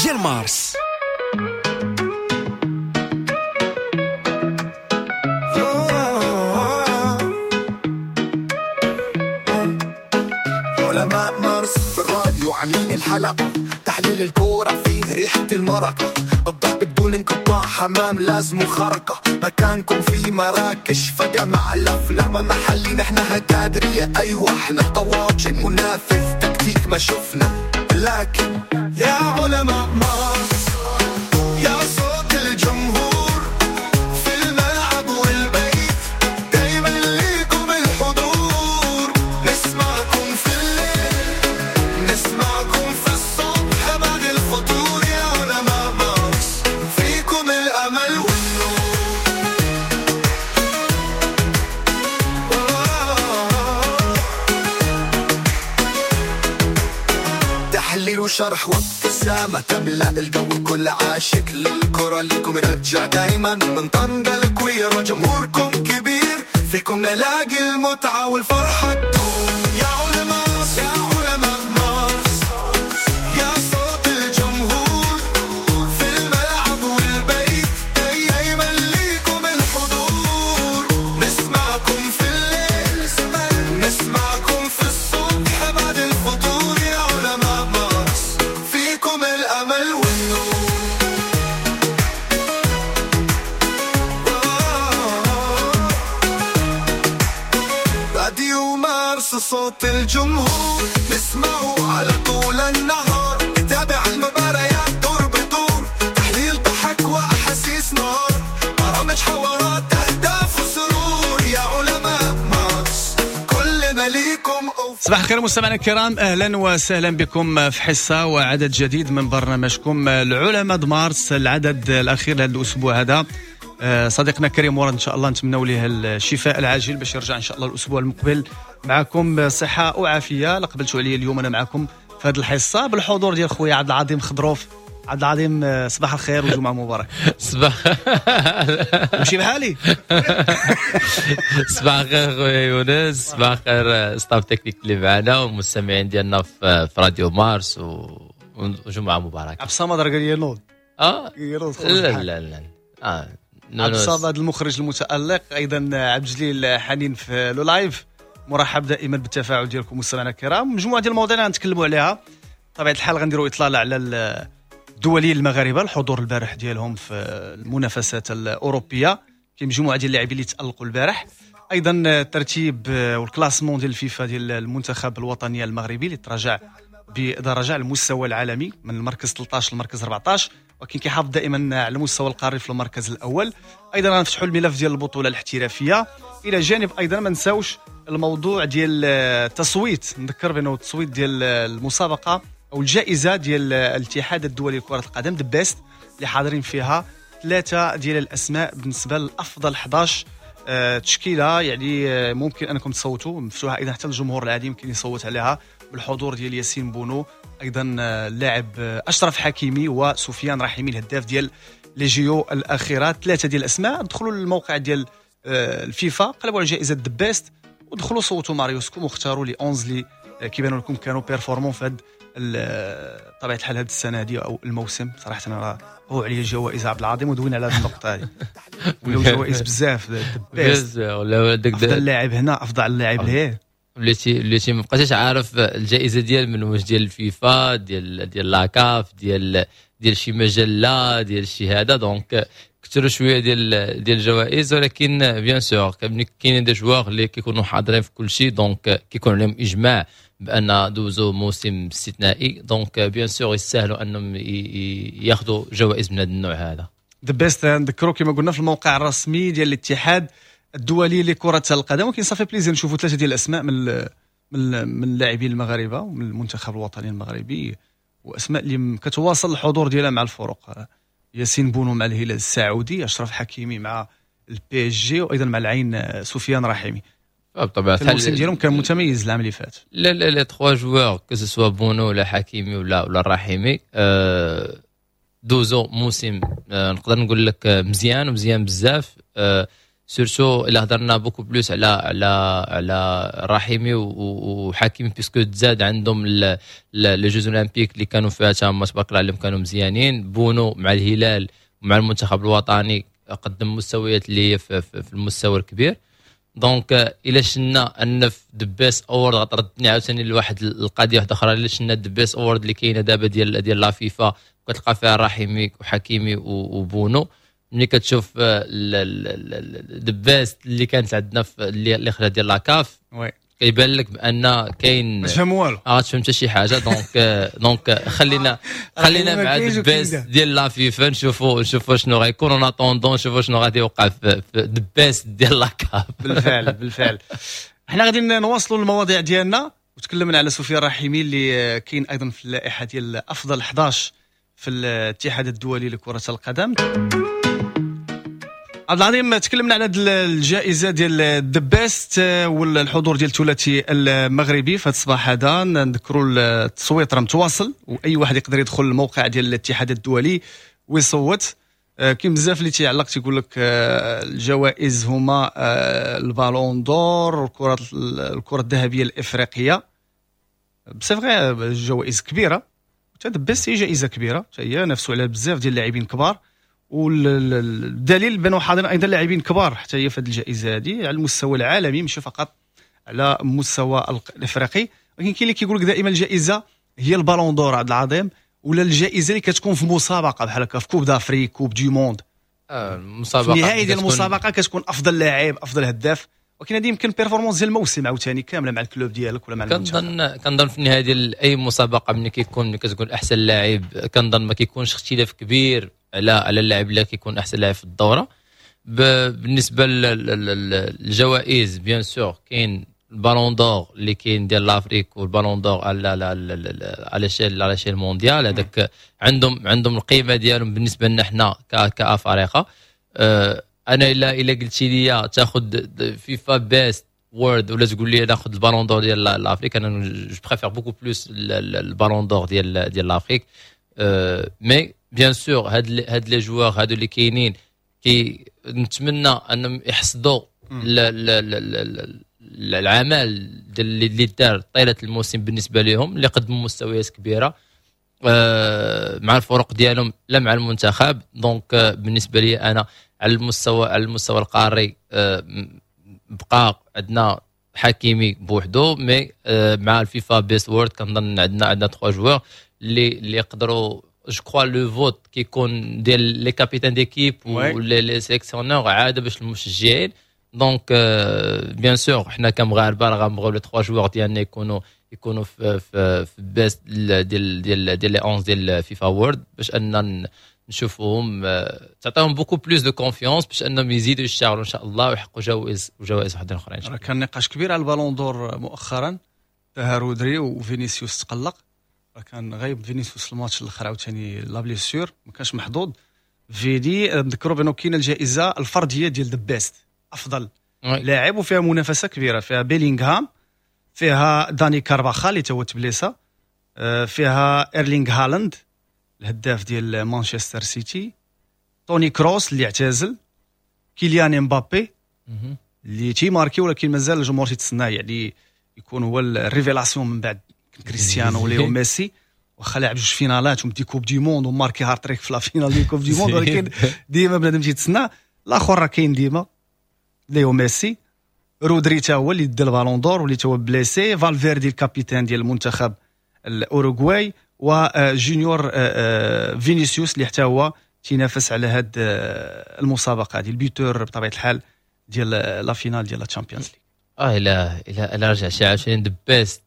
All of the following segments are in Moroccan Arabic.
ديال مارس. علماء مارس في الراديو عاملين الحلقة، تحليل الكورة فيه ريحة المرقة، الضحك بدون انقطاع، حمام لازم خرقة، مكانكم في مراكش فجمع الأفلام محلي، نحن هتادرية أيوة احنا طواجن منافذ تكتيك ما شفنا، لكن يا علماء مارس يا صوت الجمهور في الملعب والبيت، دايما ليكم الحضور، نسمعكم في الليل نسمعكم في الصبح بعد الفطور، يا علماء مارس فيكم الأمل والنور. تحليل وشرح وابتسامة تملأ الجو، كل عاشق للكرة ليكم رجع دايما، من طنجة الكويرة جمهوركم كبير، فيكم نلاقي المتعة والفرحة تدوم. يا علماء يا علماء مارس يا صوت الجمهور في الملعب والبيت، دايما ليكم الحضور، نسمعكم في الليل نسمعكم في الصبح بعد الفطور، يا علماء مارس فيكم الأمل والنور. راديو مارس صوت الجمهور، نسمعه على طول النهار، نتابع المباريات دور بدور، تحليل ضحك وأحاسيس نار، برامج حوارات أهداف وسرور، يا علماء مارس كلنا ليكم. صباح الخير مستمعينا الكرام، اهلا وسهلا بكم في حصة وعدد جديد من برنامجكم العلماء مارس، العدد الاخير لهذا الاسبوع هذا. صديقنا كريم ورد ان شاء الله نتمنوا ليه الشفاء العاجل باش يرجع ان شاء الله الاسبوع المقبل معكم صحة وعافيه. لقبلتوا عليا اليوم انا معكم في هذه الحصة بالحضور ديال خويا عبد العظيم خضروف. عبد العظيم صباح الخير وجمعه مبارك. صباح ماشي بحالي. صباح الخير خويا يونس، صباح الخير staff technique اللي معنا والمستمعين ديالنا في راديو مارس، وجمعه مباركة. عبد الصمد راه قال لي نوض. لا لا لا عبد الصمد المخرج المتألق، ايضا عبد الجليل حنين في le live. مرحب دائما بالتفاعل ديالكم مستمعينا الكرام. مجموعة ديال المواضيع اللي غنتكلموا عليها بطبيعة الحال، غنديروا اطلالة على الدوليين المغاربة، الحضور البارح ديالهم في المنافسات الاوروبية، كاين مجموعة ديال اللاعبين اللي تالقوا البارح، ايضا الترتيب وال classement ديال الفيفا ديال المنتخب الوطني المغربي اللي تراجع بدرجة على المستوى العالمي من المركز 13 للمركز 14، ولكن كيحافظ دائما على المستوى القاري في المركز الاول. ايضا غنفتحوا الملف ديال البطولة الاحترافية، الى جانب ايضا ما نساوش الموضوع ديال التصويت. نذكر بانه التصويت ديال المسابقة او الجائزة ديال الاتحاد الدولي لكرة القدم The Best اللي حاضرين فيها 3 ديال الاسماء بالنسبة لافضل 11 تشكيله، يعني ممكن انكم تصوتوا، مفتوحة ايضا حتى الجمهور العادي يمكن يصوت عليها، بالحضور ديال ياسين بونو، ايضا اللاعب اشرف حكيمي وسفيان رحيمي الهداف ديال les JO الاخيرة. 3 ديال الاسماء. دخلوا للموقع ديال الفيفا، قلبوا على جائزة The Best ودخلوا صوتوا مع ريوسكم واختاروا les 11 اللي كيبانوا لكم كانوا performants في هاد طبيعة الحال هاد السنة هذه او الموسم. صراحة انا هو عليا الجوائز عبد العظيم ودوينا على هذه النقطة هذه، ولاو جوائز بزاف. ولا افضل لاعب هنا، افضل لاعب لهيه، وليتي ما بقيتش عارف الجائزة ديال من، واش ديال الفيفا، ديال la CAF، ديال شي مجلة، ديال شي هذا. donc كثروا شوية ديال الجوائز، ولكن bien sûr كاينين des joueurs اللي كيكونوا حاضرين في كل شيء، donc كيكون عليهم اجماع بان دوزو موسم استثنائي، donc bien sûr يستاهلوا انهم ياخذوا جوائز من هذا النوع هذا. The Best نذكروا كما قلنا في الموقع الرسمي ديال الاتحاد الدولي لكرة القدم. ولكن ça fait plaisir نشوفوا 3 ديال الاسماء من اللاعبين المغاربة ومن المنتخب الوطني المغربي، واسماء اللي كتواصل الحضور ديالها مع الفرق. ياسين بونو مع الهلال السعودي، اشرف حكيمي مع ال PSG، وايضا مع العين سفيان رحيمي. بطبيعة الحال الموسم ديالهم كان متميز العام اللي فات. لا لا les 3 joueurs que ce soit بونو ولا حكيمي ولا الرحيمي، دوزو موسم نقدر نقول لك مزيان ومزيان بزاف. surtout الا هضرنا beaucoup plus على رحيمي وحكيمي، puisque تزاد عندهم les Jeux Olympiques اللي كانوا فيها تما، تبارك الله عليهم، كانوا مزيانين. بونو مع الهلال ومع المنتخب الوطني قدم مستويات اللي هي في المستوى الكبير. donc الا شنا ان في the best award، غتردني عاوتاني لواحد القضية واحدة اخرى، الا شنا the best award اللي كاينه دابا ديال la FIFA، كتلقى فيها رحيمي وحكيمي وبونو. ملي كتشوف the best اللي كانت عندنا في اللي خدا ديال la CAF، كيبان لك بان كاين ما تفهم والو. اه، تفهم حتى شي حاجه. donc خلينا مع the best ديال la FIFA، نشوفوا شنو غيكون، en attendant نشوفوا شنو غادي يوقع في the best ديال la CAF. بالفعل، حنا غادي نواصلوا المواضيع ديالنا، وتكلمنا على سفيان رحيمي اللي كاين ايضا في اللائحة ديال افضل 11 في الاتحاد الدولي لكرة القدم. عبد العظيم، تكلمنا على الجائزة ديال the best والحضور ديال الثلاثي المغربي في هذا الصباح هذا. نذكروا التصويت راه متواصل، واي واحد يقدر يدخل الموقع ديال الاتحاد الدولي ويصوت. كاين بزاف اللي تيعلق، تيقول لك الجوائز هما ال Ballon d'Or، الكره الذهبية الافريقيه. c'est vrai، جوائز كبيره، حتى the best هي جائزة كبيره، هي نافسوا على بزاف ديال اللاعبين كبار، والدليل بانوا حاضرين ايضا لاعبين كبار حتى هي في هذه الجائزة هذه على المستوى العالمي، ماشي فقط على المستوى الافريقي. ولكن كاين اللي كيقول لك دائما الجائزة هي ال Ballon d'Or، عبد العظيم، ولا الجائزة اللي كتكون في مسابقة بحال هكا، في Coupe d'Afrique، Coupe du monde. المسابقه. في النهاية ديال المسابقة كتكون افضل لاعب، افضل هداف، ولكن هذه يمكن performance ديال الموسم عاوتاني كاملة مع ال club ديالك ولا مع المنتخب. كنظن في النهاية ديال اي مسابقه، ملي كتكون احسن لاعب، كنظن ما كيكونش اختلاف كبير على اللاعب اللي كيكون احسن لاعب في الدوره. بالنسبة للجوائز، bien sûr كاين ال Ballon d'Or اللي كاين ديال l'Afrique وال Ballon d'Or على l'échelle mondiale. هذاك عندهم القيمة ديالهم بالنسبة لنا حنا كافارقه. انا الا قلتي لي تاخذ FIFA best world ولا تقول لي ناخذ ال Ballon d'Or ديال l'Afrique، انا je préfère beaucoup plus ال Ballon d'Or ديال l'Afrique. mais bien sûr هاد les joueurs هادو اللي كاينين، كي نتمنى انهم يحصدوا العمل اللي دار طيلة الموسم بالنسبة لهم، اللي قدموا مستويات كبيرة مع الفرق ديالهم لا مع المنتخب. donc بالنسبة لي انا على المستوى القاري بقى عندنا حكيمي بوحدو، mais مع ال FIFA best world كنظن عندنا trois joueurs اللي يقدروا. je crois le vote كيكون ديال les capitaines d'équipe و les sélectionneurs عادة باش المشجعين. donc bien sûr حنا كمغاربه راه غنبغيو les trois joueurs ديالنا يكونوا في best ديال les 11 ديال FIFA World، باش ان نشوفوهم تعطيهم beaucoup plus de confiance باش انهم يزيدوا يشتغلوا ان شاء الله ويحققوا جوائز وجوائز وحدين اخرين. راه كان نقاش كبير على ال Ballon d'Or مؤخرا، تاع رودري وفينيسيوس تقلق، كان غايب فينيسيوس الماتش الاخر عاوتاني la blessure، ما كانش محظوظ فيدي. نذكروا بانه كاينه الجائزة الفردية ديال the best، افضل لاعب، وفيها منافسه كبيره، فيها بيلينغهام، فيها داني كارفاخال اللي تو تبليسا، فيها ايرلينغ هالاند الهداف ديال مانشستر سيتي، توني كروس اللي اعتزل، كيليان امبابي اللي تيماركي ولكن مازال الجمهور تيتسناه يعني يكون هو ال révélation من بعد كريستيانو وليو ميسي، واخا لعب جوج فينالات ومدي Coupe du monde وماركي هارتريك في la finale ديال Coupe du monde، ولكن ديما بنادم تيتسنى الاخر. راه كاين ديما ليو ميسي، رودري تا هو اللي دا ال Ballon d'Or واللي تا هو blessé، فالفيردي ال capitaine ديال المنتخب الاوروغواي، وجونيور فينيسيوس اللي حتى هو تينافس على هاد المسابقة هذه، ال buteur بطبيعة الحال ديال la finale ديال la Champions League. اه الى رجع شي عاوتاني the best،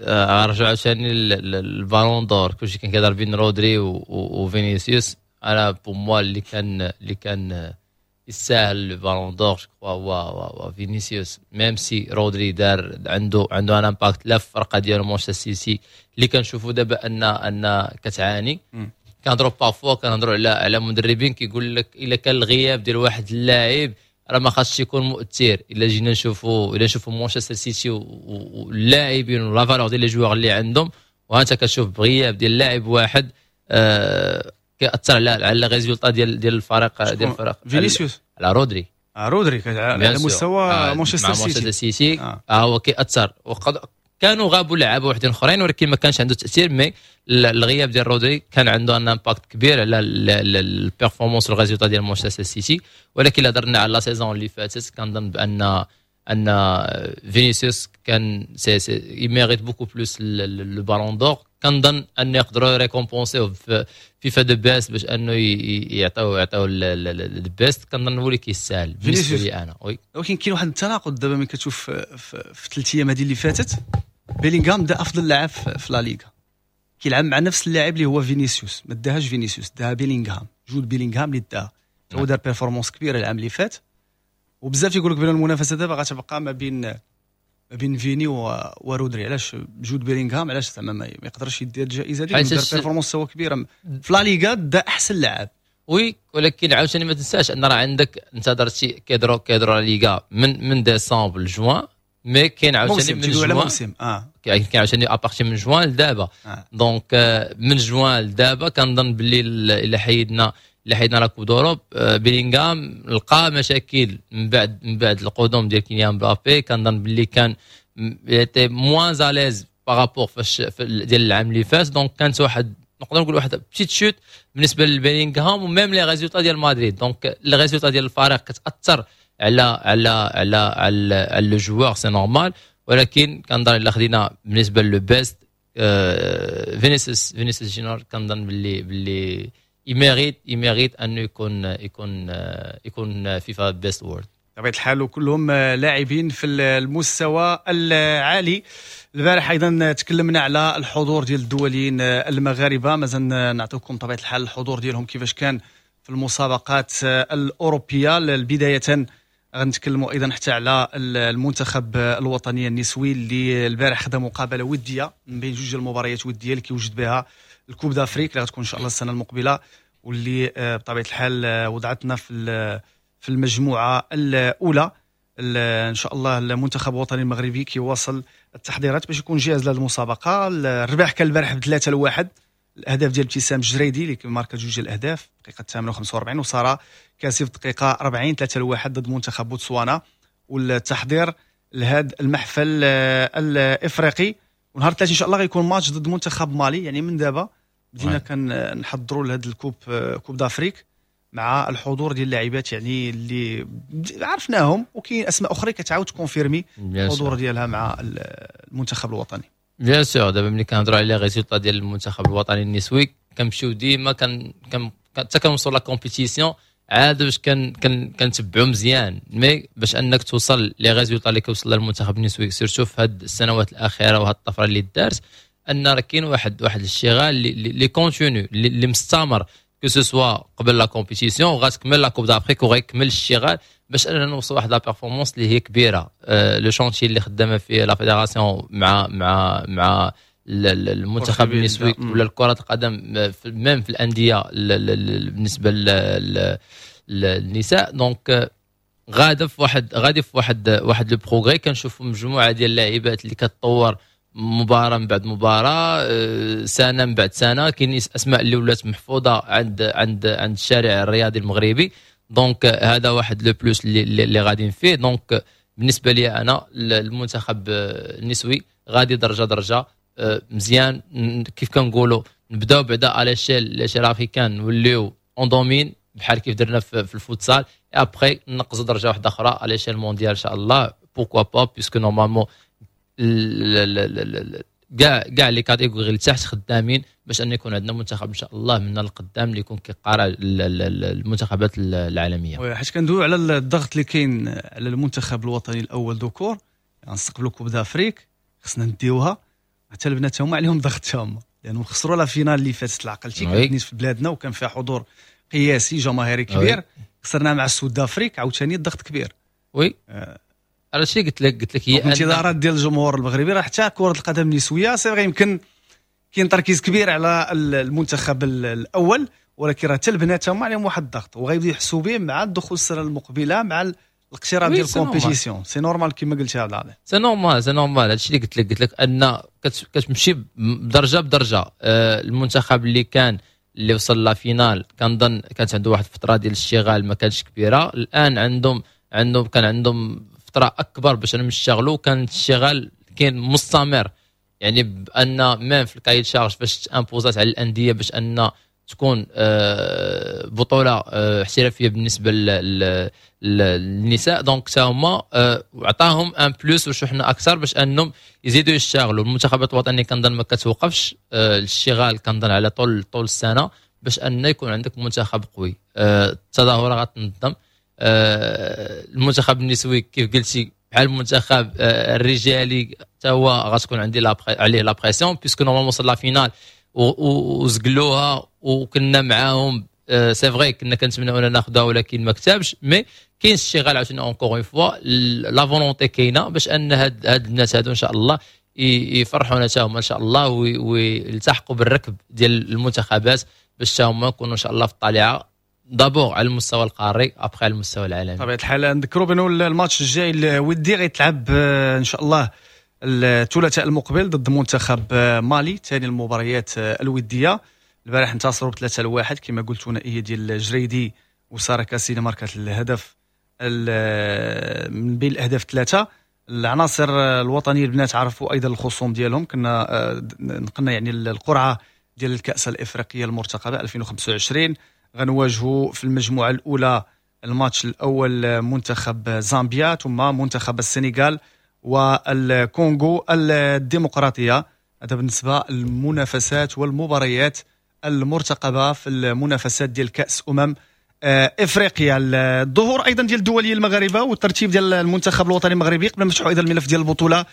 رجع عاوتاني ال Ballon d'Or، كلشي كان كيهضر بين رودري وفينيسيوس. انا pour moi اللي كان يستاهل ال Ballon d'Or je هو فينيسيوس، même si رودري دار عنده un impact لا في الفرقة ديالو مانشستر سيتي اللي كنشوفوا دابا ان كتعاني. كنهضروا parfois كنهضروا على مدربين كيقول لك الا كان الغياب ديال واحد اللاعب راه ما خاصش يكون مؤثر. الا نشوفوا مانشستر سيتي واللاعبين و la valeur ديال les joueurs اللي عندهم، وانت كتشوف بغياب ديال لاعب واحد كيأثر على les résultats ديال الفريق. فينيسيوس. على رودري. رودري على مستوى مانشستر سيتي هو كيأثر. وقد كانوا غابوا لعابه وحدين اخرين ولكن ما كانش عنده تاثير، mais الغياب ديال رودري كان عنده un impact كبير على ال performance وال résultat ديال مانشستر سيتي. ولكن الا هضرنا على la saison اللي فاتت كنظن بان فينيسيوس كان c'est mérite beaucoup plus le Ballon d'Or. كنظن ان يقدروا récompenser في فيفا The Best باش انه يعطيو The Best. كنظن هو اللي كيستاهل بالنسبة لي انا. oui ولكن كاين واحد التناقض دابا ملي كتشوف في 3 ايام هذه اللي فاتت، بيلينغهام دا افضل لاعب في لا ليغا، كيلعب مع نفس اللاعب اللي هو فينيسيوس، ما داهاش فينيسيوس، داها بيلينغهام، جود بيلينغهام اللي داها، هو دار performance كبيرة العام اللي فات. وبزاف يقول لك بان المنافسة دابا غتبقى ما بين فيني ورودري. علاش جود بيلينغهام علاش زعما ما يقدرش يدير الجائزة دي؟ دار performance هو كبيرة في لا ليغا، دا احسن لاعب. oui ولكن عاوتاني ما تنساش ان راه عندك انت درتي كيدرو لا ليغا من ديسمبر لجوان، mais كاين عاوتاني من جوان موسم كاين عاوتاني à partir من جوان لدابا. donc من جوان لدابا كنظن باللي الا حيدنا la Coupe d'Europe، بيلينغهام لقى مشاكل من بعد القدوم ديال كيليان مبابي. كنظن باللي كان était moins à l'aise par rapport فاش ديال العام اللي فات. donc كانت واحد نقدر نقول واحد petite chute بالنسبة لبيلينغهام و même les résultats ديال مدريد. donc les résultats ديال الفريق كتاثر على على على على le joueur، c'est normal. ولكن كنظن الا خدينا بالنسبة le Best فينيسيوس جونيور كنظن باللي il mérite انه يكون فيفا Best Award. بطبيعة الحال وكلهم لاعبين في المستوى العالي. البارح ايضا تكلمنا على الحضور ديال الدوليين المغاربة، مازال نعطيكم طبيعة الحال الحضور ديالهم كيفاش كان في المسابقات الاوروبية. بداية غنتكلموا ايضا حتى على المنتخب الوطني النسوي اللي البارح خدا مقابله وديه من بين جوج المباريات وديه اللي كيوجد بها ال Coupe d'Afrique اللي غتكون ان شاء الله السنة المقبلة، واللي بطبيعة الحال وضعتنا في المجموعة الاولى. ان شاء الله المنتخب الوطني المغربي كيواصل التحضيرات باش يكون جاهز لهذه المسابقة. الرباح كان البارح ب3-1، الاهداف ديال ابتسام الجريدي اللي ماركا جوج الاهداف دقيقة 48، وسارة كاسي في دقيقة 40، 3-1 ضد منتخب بوتسوانا. والتحضير لهذا المحفل الافريقي، ونهار الثلاثاء ان شاء الله غيكون ماتش ضد منتخب مالي. يعني من دابا بدينا كنحضروا لهذا ال Coupe d'Afrique مع الحضور ديال اللاعبات يعني اللي عرفناهم، وكاين اسماء اخرى كتعاود confirmer الحضور ديالها مع المنتخب الوطني. bien sûr دابا ملي كنهضروا على les résultats ديال المنتخب الوطني النسوي كنمشيو ديما حتى كنوصلوا la compétition عاد باش كنتبعوا مزيان، mais باش انك توصل les résultats اللي كيوصل للمنتخب النسوي surtout في هاد السنوات الاخيرة وهاد الطفرة اللي دارت، ان راه كاين واحد الاشتغال اللي continu اللي مستمر، que ce soit قبل la compétition وغتكمل la Coupe d'Afrique وغيكمل الاشتغال باش اننا نوصل واحد la performance اللي هي كبيرة. le chantier اللي خدامه فيه la fédération مع مع مع المنتخب النسوي ولا الكره القدم même في الاندية بالنسبة للنساء، donc غاده في واحد غادي في واحد le progrès. كنشوفوا مجموعة ديال اللاعبات اللي كتطور مباراة من بعد مباراة، سنة من بعد سنة. كاين اسماء اللي ولات محفوظة عند عند عند الشارع الرياضي المغربي، donc هذا واحد le plus اللي غاديين فيه. donc بالنسبة لي انا المنتخب النسوي غادي درجه درجه مزيان. كيف كنقولوا نبداو بعدا على l'échelle africaine، نوليو on domine بحال كيف درنا في الفوتسال، après نقزوا درجه واحدة اخرى على l'échelle mondiale ان شاء الله، pourquoi pas، puisque normalement كاع les catégories اللي تحت خدامين باش ان يكون عندنا منتخب ان شاء الله من القدام اللي يكون كيقارع المنتخبات العالمية. حيت كندويو على الضغط اللي كاين على المنتخب الوطني الاول ذكور، غنستقبلوا Coupe d'Afrique خصنا نديوها، حتى البنات هما عليهم ضغط هما، لانهم خسروا la finale اللي فاتت العقلتي كانت في بلادنا وكان فيها حضور قياسي جماهيري كبير، خسرنا مع ال Sud d'Afrique، عاوتاني الضغط كبير. oui هادشي قلت لك هي الانتظارات ديال الجمهور المغربي راه حتى كره القدم النسوية c'est vrai يمكن كاين تركيز كبير على المنتخب الاول، ولكن راه حتى البنات هما عليهم واحد الضغط وغيبداو يحسوا به مع الدخول السنة المقبلة مع الاقتراب ديال ال compétition. c'est normal كما قلتي هذا، c'est normal c'est normal. هادشي اللي قلت لك ان كتمشي بدرجة بدرجة. المنتخب اللي كان اللي وصل la finale كنظن كانت عنده واحد الفترة ديال الاشتغال ما كانتش كبيرة، الان عندهم عندهم كان عندهم فترة اكبر باش انهم يشتغلوا، كان الاشتغال كاين مستمر، يعني بان même في ال cahier des charges فاش imposات على الاندية باش ان تكون بطوله احترافية بالنسبة للنساء، donc حتى هما عطاهم un plus وشحنه اكثر باش انهم يزيدوا يشتغلوا. المنتخبات الوطنية كنظن ما كتوقفش الاشتغال، كنظن على طول السنة باش ان يكون عندك منتخب قوي. التظاهرة غتنظم، المنتخب النسوي كيف قلتي بحال المنتخب الرجالي حتى هو غتكون عندي عليه la pression، puisque normalement وصل la finale وزقلوها وكنا معاهم. c'est vrai كنا كنتمناو ان ناخذها ولكن ما كتبش، mais كاين اشتغال عاوتاني encore une fois، la volonté كاينه باش ان هاد الناس هادو ان شاء الله يفرحونا حتى هما ان شاء الله ويلتحقوا بالركب ديال المنتخبات باش حتى هما يكونوا ان شاء الله في الطليعة، d'abord على المستوى القاري، après على المستوى العالمي. بطبيعة الحال نذكروا بانه الماتش الجاي الودي غيتلعب ان شاء الله الثلاثاء المقبل ضد منتخب مالي، ثاني المباريات الوديه. البارح انتصروا ب3-1 كما قلت، ثنائية ديال جريدي وسارة كاسيني ماركات الهدف من بين الاهداف ثلاثه. العناصر الوطنية البنات عرفوا ايضا الخصوم ديالهم، كنا نقلنا يعني القرعة ديال الكاس الافريقية المرتقبه 2025. غنواجهوا في المجموعة الاولى الماتش الاول منتخب زامبيا، ثم منتخب السنغال والكونغو الديمقراطيه. هذا بالنسبة للمنافسات والمباريات المرتقبه في المنافسات ديال كاس افريقيا. الظهور ايضا ديال الدولية المغاربة والترتيب ديال المنتخب الوطني المغربي، قبل ما نفتحوا ايضا الملف ديال البطولة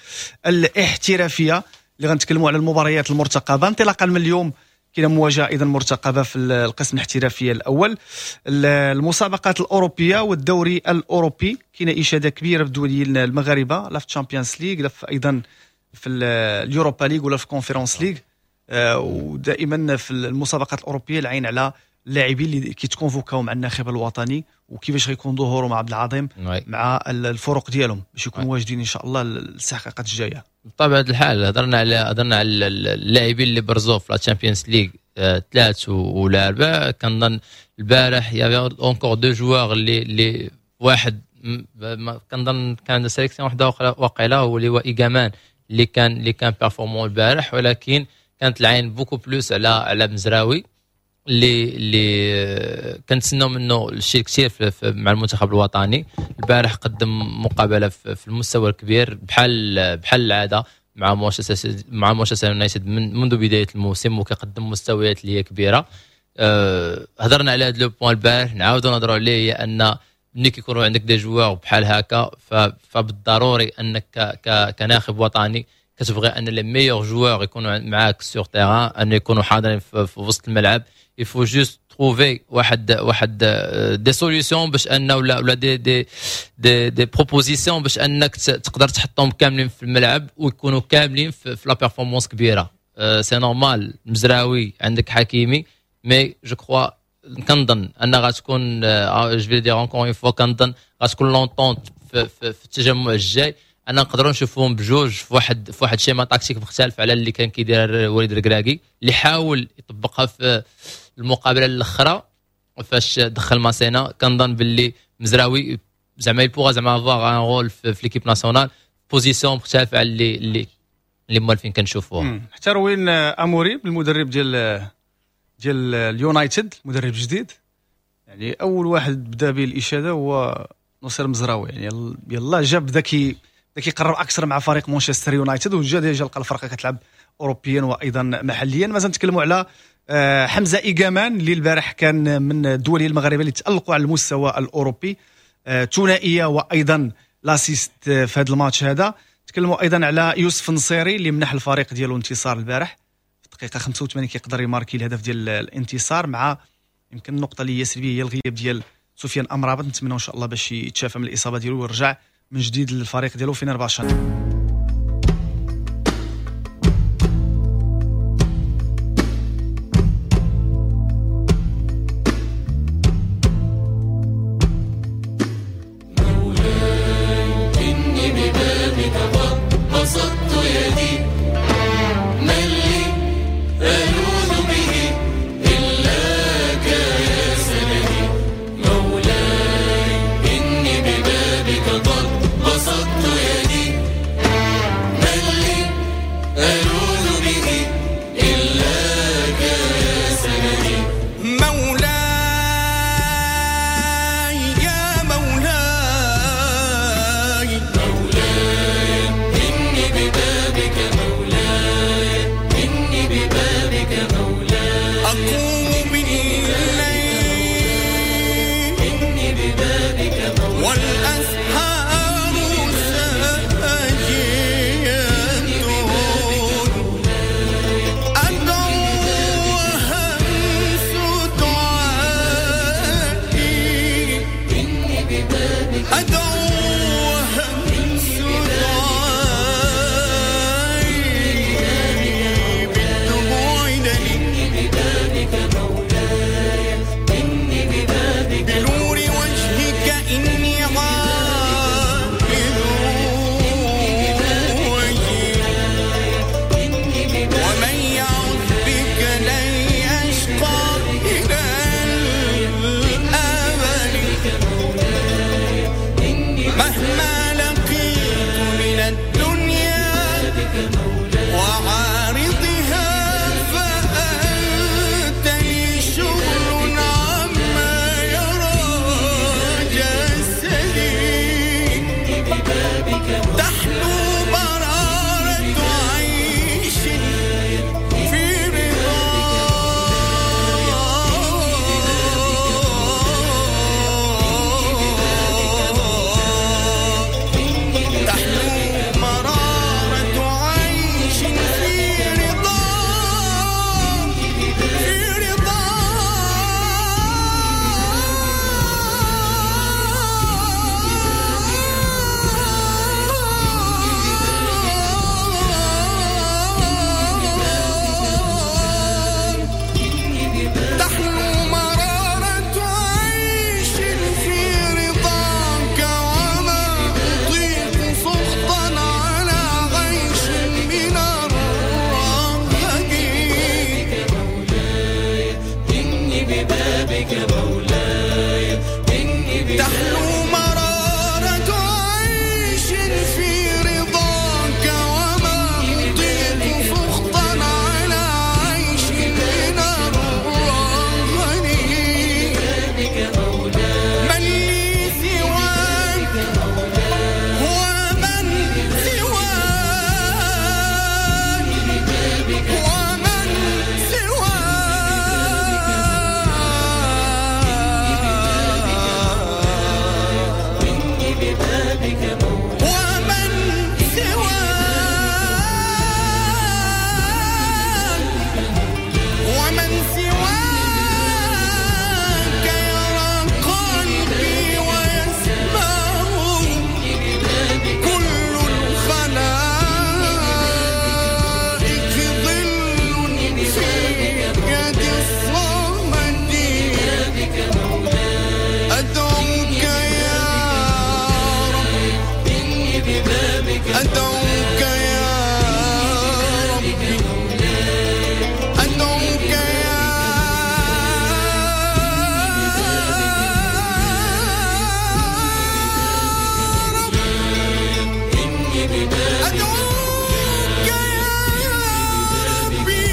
الاحترافية اللي غنتكلموا على المباريات المرتقبه انطلاقا من اليوم. كاينه مواجهة ايضا مرتقبه في القسم الاحترافي الاول، المسابقات الاوروبية والدوري الاوروبي. كاينه اشاده كبيرة بالدوليين المغاربة، لا في Champions League، لا في ايضا في ال Europa League ولا في Conference League. ودائما في المسابقات الاوروبية العين على اللاعبين اللي كيت convoquاو مع الناخب الوطني وكيفاش غيكون ظهوره مع عبد العظيم مع الفرق ديالهم باش يكونوا واجدين ان شاء الله للاستحقاقات الجايه. بطبيعة الحال هضرنا على اللاعبين اللي برزوا في la Champions League، ثلاث ولا اربعه. كنظن البارح y avait encore deux joueurs اللي واحد كنظن كان sélection واحدة واقيلا هو اللي هو ايغامان اللي كان performant البارح، ولكن كانت العين beaucoup plus على مزراوي اللي كنتسناو منه الشيء كثير مع المنتخب الوطني. البارح قدم مقابله في المستوى الكبير بحال العادة مع مانشستر يونايتد من منذ بداية الموسم، وكيقدم مستويات اللي هي كبيره. هضرنا على هذا le point البارح، نعاودوا نهضروا عليه، هي ان ملي كيكونوا عندك des joueurs بحال هكا فبالضروري انك كناخب وطني كتبغي ان les meilleurs joueurs يكونوا معاك sur terrain، ان يكونوا حاضرين في وسط الملعب. il faut juste trouver واحد des solutions باش ان ولا des propositions باش انك تقدر تحطهم كاملين في الملعب ويكونوا كاملين في la performance كبيره. c'est normal، مزراوي، عندك حكيمي، mais je crois كنظن ان غتكون، je vais dire encore une fois، كنظن غتكون l'entente في التجمع الجاي انا نقدروا نشوفوهم بجوج في واحد schéma tactique مختلف على اللي كان كيدير وليد الركراكي، اللي حاول يطبقها في المقابلة الاخرى فاش دخل ماسينا. كنظن باللي مزراوي زعما il pourra زعما avoir un rôle في l'équipe nationale، position مختلفة على اللي موالفين كنشوفوها. حتى روين اموري المدرب ديال اليونايتد، المدرب الجديد، يعني اول واحد بدا به الاشادة هو نصير مزراوي. يعني يلا جا بدا كيقرب اكثر مع فريق مانشستر يونايتد، وجا déjà لقى الفرقة كتلعب اوروبيا وايضا محليا. مازال نتكلموا على حمزة ايغامان اللي البارح كان من الدوليين المغاربة اللي تالقوا على المستوى الاوروبي، ثنائية وايضا l'assist في هذا الماتش هذا. تكلموا ايضا على يوسف النصيري اللي منح الفريق ديالو انتصار البارح، في الدقيقة 85 كيقدر يماركي الهدف ديال الانتصار. مع يمكن النقطة اللي هي سلبية هي الغياب ديال سفيان امرابط، نتمنى ان شاء الله باش يتشافى من الاصابة ديالو ويرجع من جديد للفريق ديالو فينرباشا. إني ببابك قد بسطت يدي، من لي ألوذ به إلاك يا سندي؟ مولاي إني ببابك ببابك مولاي، والأسحار ساجية. أدعو وهمس دعائي، أدعو وهمس دعائي بالدموع دلي، بنور وجهك إني عائد وجهي، ومن يعذ بك لن يشقى إلى الأبد. مهما لقيت من الدنيا وعارضها فأنت لي شغل عما يرى جسدي. تحلو مرارة عيش في رضاك، تحلو مرارة عيش في رضاك، في رضاك، تحلو مرارة عيش في رضاك، وما أطيق سخطا على عيش من الرغد. إني ببابك مولاي، إني ببابك تحلو مرارة عيش في رضاك، وما أطيق سخطا على عيش من الرغد. من لي سواك ومن سواك، ومن سواك، ومن سواك، ومن سواك يرى قلبي ويسمعه كل الخلائق ظل في يد الصمد. أدعوك يا رب، أدعوك يا ربي، أدعوك يا رب، أدعوك يا ربي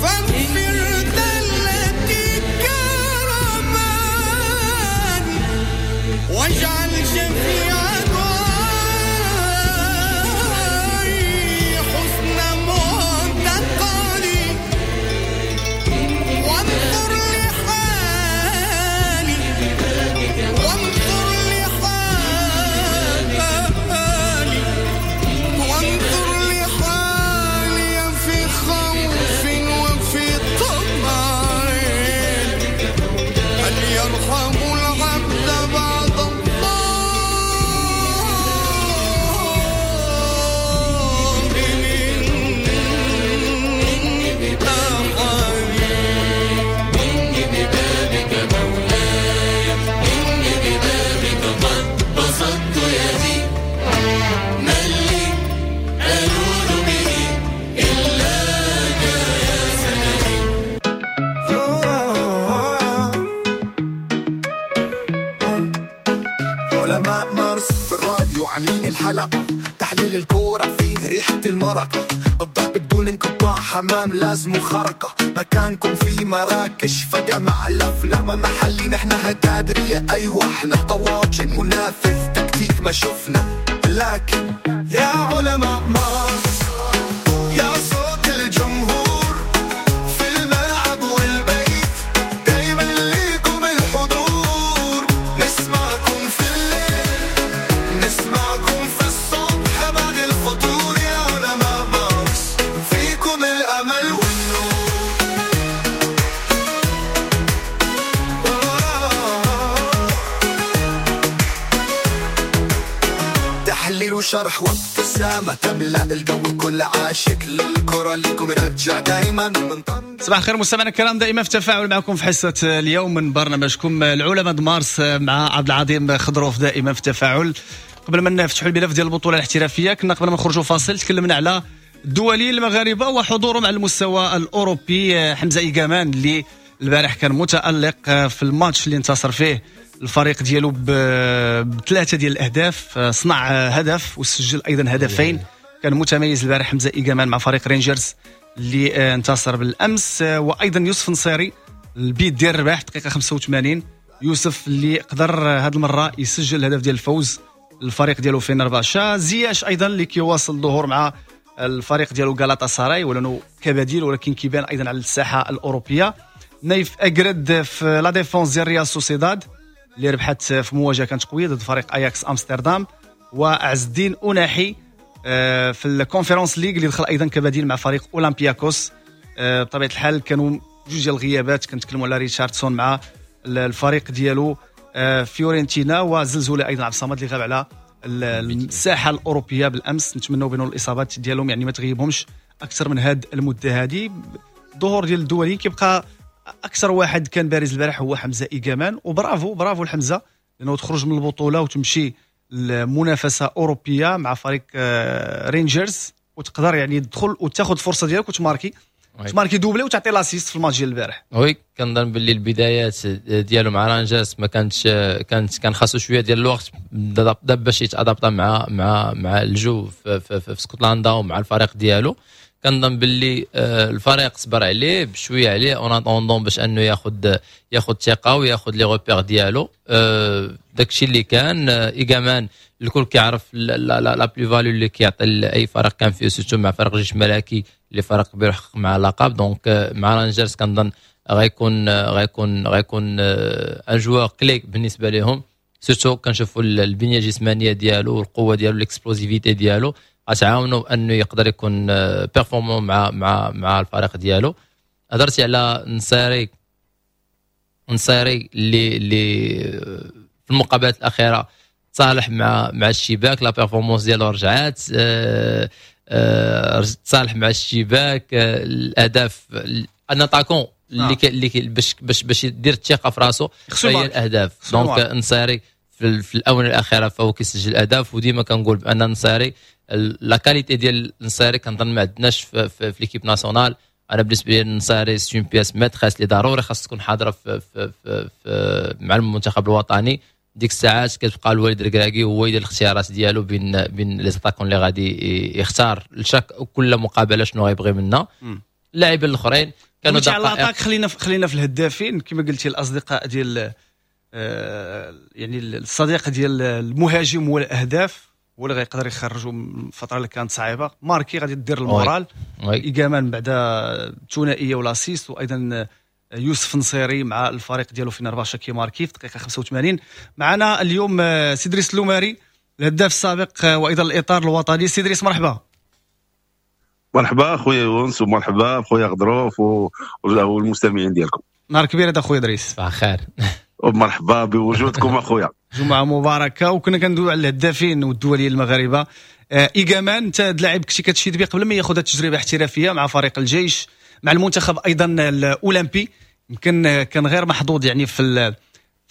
فاغفر ذلتي كرما، واجعل شفيع دعائي حسن معتقدي، وانظر لحالي، وانظر لحالي، وانظر لحالي في خوف وفي طمع. هل يرحم العبد بعد الله من أحد؟ إني ببابك مولاي، إني ببابك قد بسطت يدي، من لي ألوذ به إلاك يا سندي. علماء مارس في الراديو عاملين الحلقة، تحليل الكورة فيه ريحة المرقة، الضرب بدون انقطاع، حمام لازم خرقة، مكانكم في مراكش فجأة مع الأفلام محلي، نحن هتادرية أيوة احنا طواجن، منافذ تكتيك ما شفنا، لكن يا علماء مارس يا صوت الجمهور في الملعب والبيت، دايما ليكم الحضور. وشرح وابتسامة تملأ الجو، كل عاشق للكرة لكم رجع دايما من طنجة. صباح الخير مستمعينا الكرام، دائما في تفاعل معكم في حصة اليوم من برنامجكم العلماء مارس مع عبد العظيم خضروف، دائما في تفاعل. قبل ما نفتحوا الملف ديال البطولة الاحترافية، كنا قبل ما نخرجوا فاصل تكلمنا على الدوليين المغاربة وحضورهم على المستوى الاوروبي. حمزة إيغامان اللي البارح كان متالق في الماتش اللي انتصر فيه الفريق ديالو بثلاثة ديال الاهداف، صنع هدف وسجل ايضا هدفين. كان متميز البارح حمزة إيغامان مع فريق رينجرز اللي انتصر بالامس. وايضا يوسف نصيري البيت ديال الرباح دقيقة 85، يوسف اللي قدر هذه المرة يسجل الهدف ديال الفوز الفريق ديالو فينرباشا. زياش ايضا اللي كيواصل الظهور مع الفريق ديالو غالاتا سراي ولانه كبديل، ولكن كيبان ايضا على الساحة الاوروبية. نايف اجرد في la défense ديال ريال سوسيداد اللي ربحت في مواجهة كانت قوية ضد فريق اياكس امستردام. وعز الدين اوناحي في الكونفرنس ليغ اللي دخل ايضا كبديل مع فريق اولمبياكوس. بطبيعة الحال كانوا جوج ديال الغيابات، كنتكلموا على ريتشاردسون مع الفريق ديالو فيورنتينا، وزلزولة ايضا عبد الصمد اللي غاب على الساحة الاوروبية بالامس. نتمنوا بان الاصابات ديالهم يعني ما تغيبهمش اكثر من هذه المدة هذه. الظهور ديال الدوليين كيبقى اكثر واحد كان بارز البارح هو حمزة إيغامان، وبرافو برافو لحمزة لانه تخرج من البطولة وتمشي لمنافسه اوروبية مع فريق رينجرز، وتقدر يعني تدخل وتاخذ الفرصة ديالك وتماركي تماركي doublé وتعطي l'assist في الماتش ديال البارح. oui كنظن باللي البدايات ديالو مع رانجرز ما كانتش، كان خاصو شوية ديال الوقت باش يتادابتا مع مع مع الجو في, في, في, في اسكتلندا ومع الفريق ديالو. كنظن باللي الفريق صبر عليه بشوية عليه en attendant باش انه ياخذ ثقة وياخذ les repères ديالو. داكشي اللي كان. إيغامان الكل كيعرف la plus-value اللي كيعطي لاي فريق كان فيه، surtout مع فريق جيش ملكي اللي فريق كبير حقق مع لقب. donc مع رانجرز كنظن غيكون un joueur clé بالنسبة لهم، surtout كنشوفوا البنية الجسمانية ديالو والقوه ديالو l'explosivité ديالو غتعاونوا انه يقدر يكون performant مع مع مع الفريق ديالو. هضرتي على نصيري اللي في المقابلات الاخيرة تصالح مع الشباك، la performance ديالو رجعات، تصالح مع الشباك، الاهداف un attaquant اللي باش باش يدير الثقة في راسو هي الاهداف. donc نصيري في الاونة الاخيرة فهو كيسجل اهداف، وديما كنقول بان نصيري la qualité ديال نصيري كنظن ما عندناش في l'équipe nationale. انا بالنسبة لي نصيري c'est une pièce maîtresse اللي ضروري خاص تكون حاضره في مع المنتخب الوطني. ديك الساعات كتبقى الوليد الركراكي هو يدير الاختيارات ديالو بين les attaquants اللي غادي يختار لchaque كل مقابله شنو غيبغي منا. اللاعبين الاخرين كانوا دقائق. خلينا في الهدافين كما قلتي، الاصدقاء ديال يعني الصديق ديال المهاجم هو الاهداف، هو اللي غيقدر يخرجوا من الفترة اللي كانت صعيبة. ماركي غادي دير ال moral، إيغامان بعد ثنائية و l'assist، وايضا يوسف نصيري مع الفريق ديالو فينرباشا كيماركي في دقيقة 85. معنا اليوم سي دريس اللوماري الهداف السابق وايضا الاطار الوطني. سي دريس مرحبا. مرحبا خويا يونس، ومرحبا خويا غضروف والمستمعين ديالكم. نهار كبير هذا خويا دريس. صباح الخير. ومرحبا بوجودكم اخويا. جمعه مباركة. وكنا كندويو على الهدافين والدوليين المغاربة. إيغامان انت لاعب كنتي كتشيد به قبل ما ياخذ التجربة الاحترافية مع فريق الجيش مع المنتخب ايضا الاولمبي، يمكن كان غير محظوظ يعني في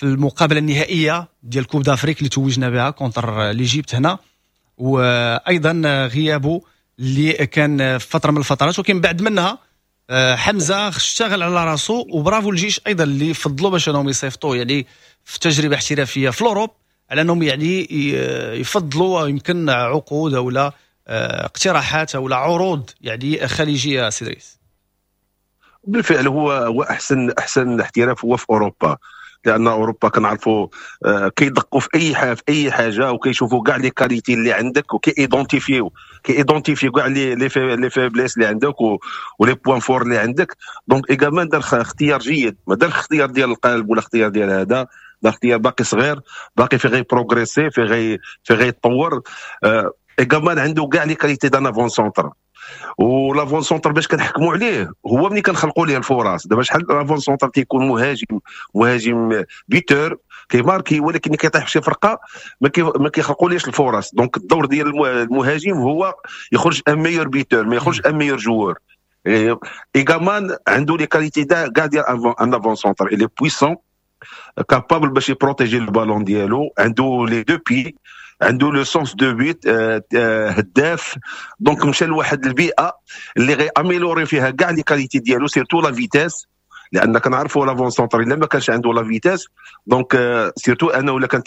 المقابلة النهائية ديال Coupe d'Afrique اللي توجنا بها contre l'Égypte هنا، وايضا غيابه اللي كان في فترة من الفترات، ولكن بعد منها حمزة اشتغل على راسه، وبرافو الجيش ايضا اللي فضلوا باش انهم يصيفطوه يعني في تجربه احترافية في l'Europe، على انهم يعني يفضلوا يمكن عقود او لا اقتراحات او لا عروض يعني خليجية. سي دريس بالفعل هو احسن احتراف هو في اوروبا، لان اوروبا كنعرفوا كيدقوا في اي حاجة وكيشوفوا كاع les qualités اللي عندك وكي identifier كاع les faiblesses اللي عندك و les points forts اللي عندك. donc إيغامان دار اختيار جيد، ما دار اختيار ديال القلب ولا اختيار ديال هذا، دار اختيار باقي صغير، باقي في غير progresser، في غير يتطور. إيغامان عنده كاع les qualités d'un avant-centre، و l'avant-centre باش كنحكموا عليه هو ملي كنخلقوا ليه الفرص. دابا شحال l'avant-centre تيكون مهاجم buteur، كيماركي، ولكن كيطيح في شي فرقه ما كيخلقوليش الفرص. donc الدور ديال المهاجم هو يخرج un meilleur buteur، ما يخرج un meilleur joueur. ايغامان عنده les qualités كاع ديال un avant-centre، il est puissant، capable باش يبروتيجي البالون ديالو، عنده les deux pieds، عنده le sens de but، هداف. donc مشى لواحد البيئة اللي غي améliorer فيها كاع les qualités ديالو، surtout la vitesse، لان كنعرفوا l'avant-centre الا ما كانش عنده la vitesse، donc surtout انا ولا كان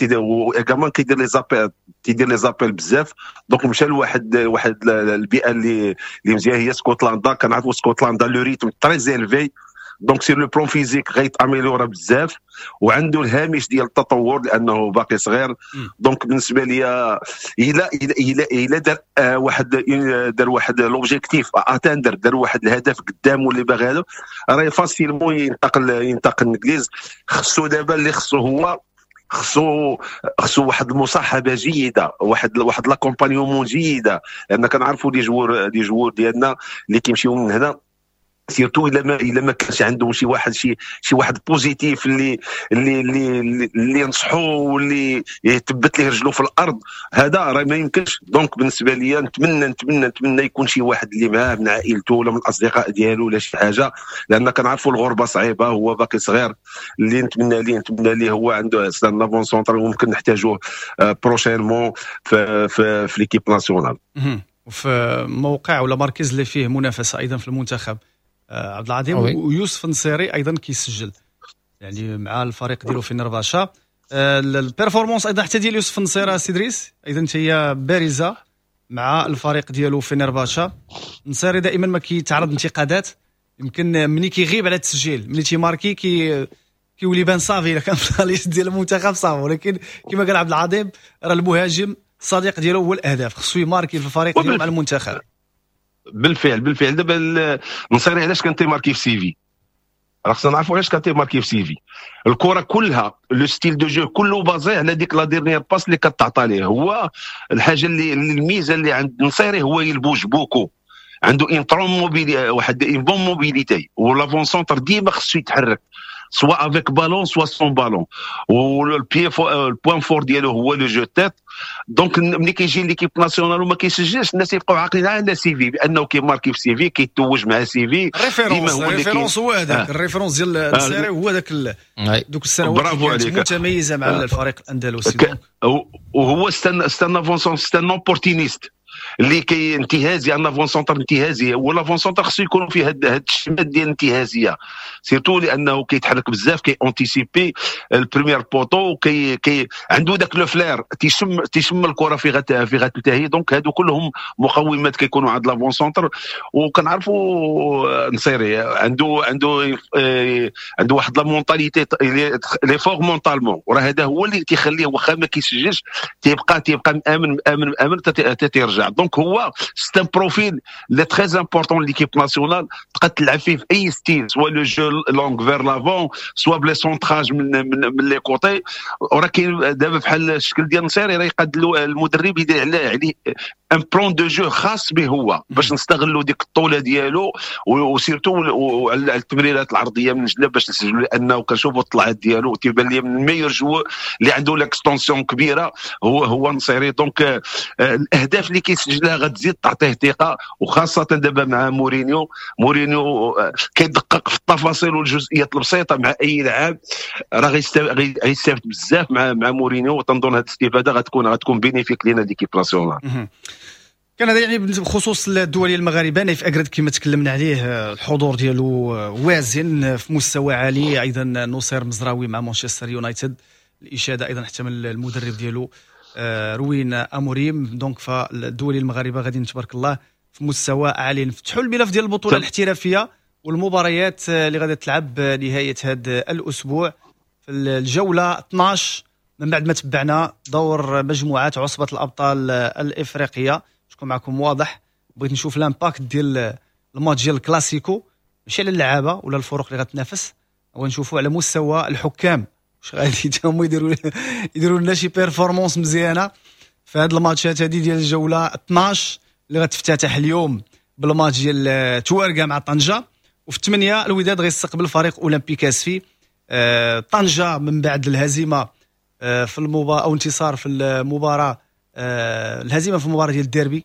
également كيدير les appels، تيدير les appels بزاف. donc مشى لواحد البيئة اللي مزيان هي اسكتلندا. كنعرفوا اسكتلندا le rythme très élevé، donc sur le plan physique غيت améliorer بزاف، وعنده الهامش ديال التطور لانه باقي صغير. donc بالنسبة لي الى الى الى دار واحد دار واحد l'objectif atteindre، دار واحد الهدف قدامه اللي باغي، هذا راه facilement ينتقل الانجليز. خصو دابا اللي خصو هو خصو واحد المصاحبة جيده، واحد l'accompagnement جيده، لان كنعرفوا les joueurs ديالنا اللي كيمشيو من هنا، surtout الا ما كانش عندهم شي واحد شي واحد positif اللي اللي اللي اللي ينصحو واللي يثبت ليه رجلو في الارض، هذا راه ما يمكنش. donc بالنسبة لي نتمنى نتمنى نتمنى يكون شي واحد اللي معاه من عائلته ولا من الاصدقاء ديالو ولا شي حاجة، لان كنعرفوا الغربة صعيبة، هو باقي صغير. اللي نتمنى ليه هو عنده c'est un avant-centre وممكن نحتاجوه prochainement في في, في l'équipe nationale، وفي موقع ولا مركز اللي فيه منافسه ايضا في المنتخب. عبد العظيم ويوسف نصيري ايضا كيسجل يعني مع الفريق ديالو فنرباشا. ال performance ايضا حتى ديال يوسف نصيري سي دريس ايضا هي بارزة مع الفريق ديالو فنرباشا. نصيري دائما ما كيتعرض انتقادات، يمكن ملي كيغيب على التسجيل ملي تيماركي كيولي بان صافي الا كان في la liste ديال المنتخب صافي، ولكن كما قال عبد العظيم راه المهاجم الصديق ديالو هو الاهداف، خصو يماركي في الفريق ديالو مع المنتخب. بالفعل دابا النصيري علاش كان تيماركي في سيفي؟ راه خصنا نعرفوا علاش كان تيماركي في سيفي. الكره كلها le style de jeu كله basé على ديك la dernière passe اللي كتعطى ليه. هو الحاجة اللي الميزة اللي عند النصيري هو il bouge beaucoup، عنده une très mobili واحد une bonne mobilité، و l'avant-centre ديما خصو يتحرك soit avec ballon soit sans ballon، وال pied ال point fort ديالو هو le jeu tête. donc ملي كيجي l'équipe nationale وما كيسجلش، الناس يبقاو عاقلين على سيفي بانه كيماركي في سيفي، كيتوج مع سيفي. ال référence هو هذاك ال référence ديال السيري هو ذاك دوك السنوات متميزة مع الفريق الاندلسي. وهو c'est un avant-centre، c'est un opportuniste اللي كي انتهازي، un avant-centre انتهازي. هو l'avant-centre خصو يكون فيه هاد الشمات ديال الانتهازيه، surtout لانه كيتحرك بزاف، كي anticiper ال premier poteau، كي عنده داك le flair، تيشم الكره في غتنتهي. donc هادو كلهم مقومات كيكونوا عند l'avant-centre. وكنعرفوا نصيري عنده عنده عنده واحد la mentalité، il est fort mentalement، وراه هذا هو اللي تيخليه واخا ما كيسجلش تيبقى مامن مامن مامن تيرجع. donc هو c'est un profil اللي très important l'équipe nationale، تقدر تلعب فيه في اي style، soit le jeu long vers l'avant، soit ب les centrages من les côtés. وراه كاين دابا بحال الشكل ديال نصيري راه يقاد المدرب يدير عليه un plan de jeu خاص به هو باش نستغلوا ديك الطولة ديالو، و surtout على التمريرات العرضية من جنب باش نسجلوا، لانه كنشوفوا الطلعات ديالو تيبان لي من meilleurs joueurs اللي عنده l'extension كبيرة هو نصيري. donc الاهداف اللي كيسجلها غتزيد تعطيه ثقة، وخاصة دابا مع مورينيو. مورينيو كيدقق في التفاصيل والجزئيات البسيطة مع اي لاعب، راه غيستافد بزاف مع مورينيو، وتنظن هذه الاستفادة غتكون bénéfique لينا l'équipe nationale. كان هذا يعني بخصوص الدولي المغاربة. نايف اكرد كما تكلمنا عليه الحضور ديالو وازن في مستوى عالي. ايضا نصير مزراوي مع مانشستر يونايتد، الاشادة ايضا حتى من المدرب ديالو روين اموريم. donc فالدولي المغاربة غاديين تبارك الله في مستوى عالي. نفتحوا الملف ديال البطولة الاحترافية والمباريات اللي غادي تلعب نهاية هذا الاسبوع في الجولة 12 من بعد ما تبعنا دور مجموعات عصبه الابطال الافريقية. شكون معكم واضح، بغيت نشوف l'impact ديال الماتش ديال الكلاسيكو ماشي على اللعابه ولا الفرق اللي غتنافس، ونشوفوا على مستوى الحكام واش غادي هما يديروا لنا شي performance مزيانه في هاد الماتشات هادي ديال الجولة 12 اللي غتفتتح اليوم بالماتش ديال توارقه مع طنجه، وفي 8 الوداد غيستقبل فريق اولمبيك اسفي. طنجه من بعد الهزيمة في المباراة او انتصار في المباراة، الهزيمة في المباراة ديال الديربي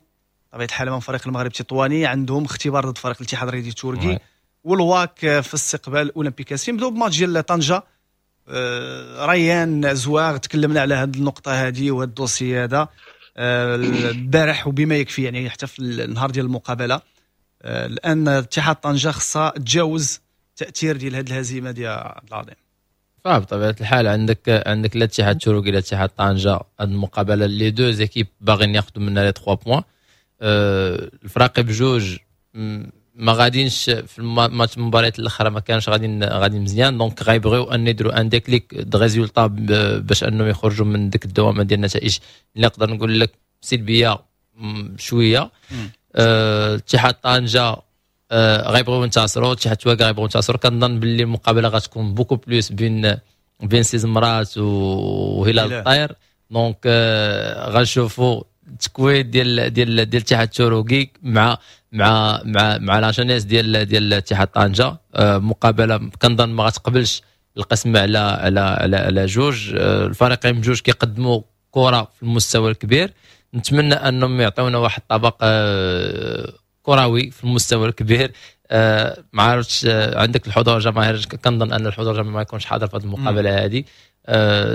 بطبيعة الحال امام فريق المغرب التطواني. عندهم اختبار ضد فريق الاتحاد الرياضي التركي، والواك في استقبال اولمبيك اسفي. نبداو بماتش ديال طنجه. ريان ازواغ، تكلمنا على هذه النقطة هذه وهذا ال dossier هذا البارح وبما يكفي، يعني حتى في النهار ديال المقابله. الان اتحاد طنجه خصها تجاوز التاثير ديال هذه الهزيمة ديال عبد العظيم. فبطبيعه الحال عندك لا اتحاد التروكي لا اتحاد طنجه، هذه المقابلة les deux équipes باغيين ياخذوا منها les 3 points. الفراقي بجوج ما غادينش في الماتش، المباريات الاخرى ما كانش غادي مزيان، donc غيبغيو ان يديروا un déclic de résultat باش انهم يخرجوا من ديك الدوامة ديال النتائج اللي نقدر نقول لك سلبية شويه. اتحاد طنجه غيبغيو ينتصروا، اتحاد تواركة غيبغيو ينتصروا. كنظن باللي المقابلة غتكون beaucoup plus بين سي زمرات وهلال الطير، donc غنشوفوا التكوين ديال اتحاد التروكي مع la jeunesse ديال اتحاد طنجه. مقابله كنظن ما غتقبلش القسم على جوج. الفريقين بجوج كيقدموا كره في المستوى الكبير، نتمنى انهم يعطيونا واحد الطبق كروي في المستوى الكبير. ما عرفتش عندك الحضور الجماهيري، كنظن ان الحضور الجماهيري ما يكونش حاضر في هذه المقابلة هذه.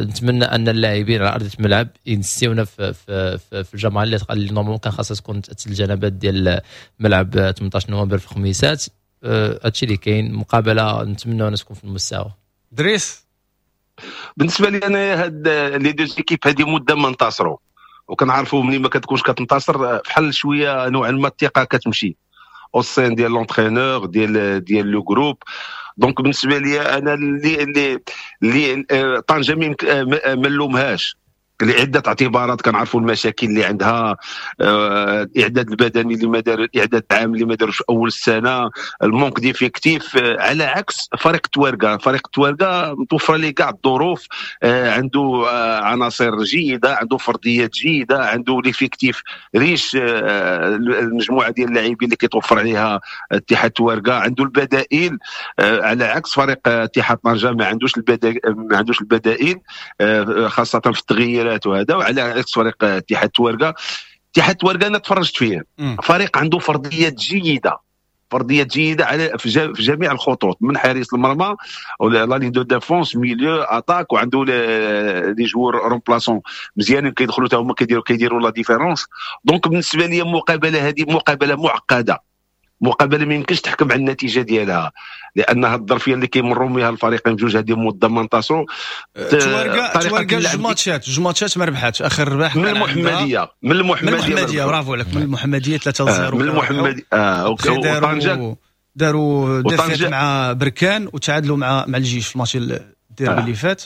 نتمنى ان اللاعبين على ارضية الملعب ينسيونا في الجماهير اللي normalement كان خاصها تكون الجنبات ديال ملعب 18 نوفمبر في الخميسات. هادشي اللي كاين، مقابله نتمنى ان تكون في المستوى. دريس. بالنسبة لي انا، هاد les deux équipes هذه مده ما انتصروا، وكنعرفوا ملي ما كتكونش كتنتصر بحال شوية نوعا ما الثقة كتمشي au sein ديال l'entraîneur، ديال le groupe. donc بالنسبة لي انا اللي طنجه ما نلومهاش لعدة اعتبارات. كنعرفوا المشاكل اللي عندها، الاعداد البدني اللي ما دار، الاعداد العام اللي ما داروش في اول السنه، ال manque d'effectif، على عكس فريق تواركا. فريق تواركا متوفرة ليه كاع الظروف، عنده عناصر جيده، عنده فرديات جيده، عنده l'effectif riche، المجموعة ديال اللاعبين اللي كيتوفر عليها اتحاد تواركا، عنده البدائل، على عكس فريق اتحاد طنجه ما عندوش البدائل، خاصة في التغييرات وهذا. وعلى عكس فريق اتحاد تواركا، اتحاد تواركا انا تفرجت فيه، فريق عنده فرديات جيده، فرديات جيدة على في جميع الخطوط، من حارس المرمى la ligne de défense، milieu، attaque، وعنده les joueurs remplaçants مزيانين كيدخلوا حتى هما كيديروا la différence. donc بالنسبة لي المقابلة هذه مقابله معقده، مقابله ما يمكنش تحكم على النتيجة ديالها، لانها الظرفية اللي كيمروا بها الفريقين بجوج هذه مده ما انتصروا. تواركا جوج ماتشات ما ربحاتش، اخر ربح من المحمديه، من المحمديه. من المحمديه، برافو عليك، من المحمدية 3-0. من المحمديه. وطنجه داروا défaite مع بركان وتعادلوا مع الجيش في الماتش الديربي اللي فات.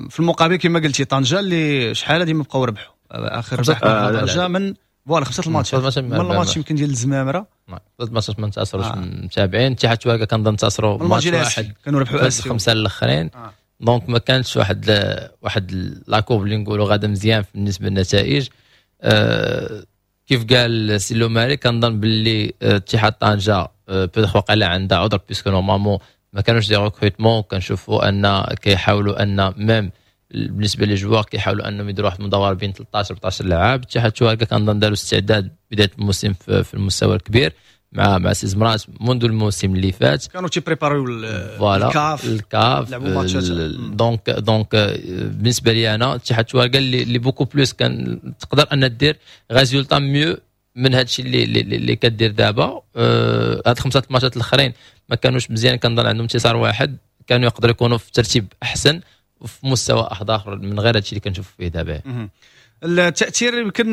في المقابل كما قلتي طنجه اللي شحال هذه ما بقاو ربحوا، اخر ربح طنجه من voilà خمسة الماتشات، من الماتش يمكن ديال الزمامره. ثلاث ماتشات ما انتصروش. متابعين اتحاد تواركا كنظن انتصروا ماتش واحد. كانوا ربحوا الخمسة الاخرين. Donc ما كانتش واحد la courbe اللي نقولوا غادا مزيان بالنسبة للنتائج. كيف قال سي لوماري، كنظن باللي اتحاد طنجه peut-être وقيلا عندها عذر، puisque normalement ما كانوش des recrutements. كنشوفوا ان كيحاولوا ان même بالنسبة les joueurs كيحاولوا انهم يديروا واحد المدوره بين 13 14 لاعب. اتحاد تواركا كنظن داروا استعداد بداية الموسم في المستوى الكبير مع سي زمرات منذ الموسم اللي فات. كانوا تي préparer يو. الكاف. الكاف. لعبوا ماتشات. donc بالنسبة لي انا اتحاد تواركا اللي beaucoup plus كان تقدر ان دير résultat mieux من هذا الشيء اللي كدير دابا. هاد خمسة الماتشات الاخرين ما كانوش مزيان، كنظن عندهم انتصار واحد، كانوا يقدروا يكونوا في ترتيب احسن وفي مستوى اخر من غير هادشي اللي كنشوف فيه دابا. التاثير يمكن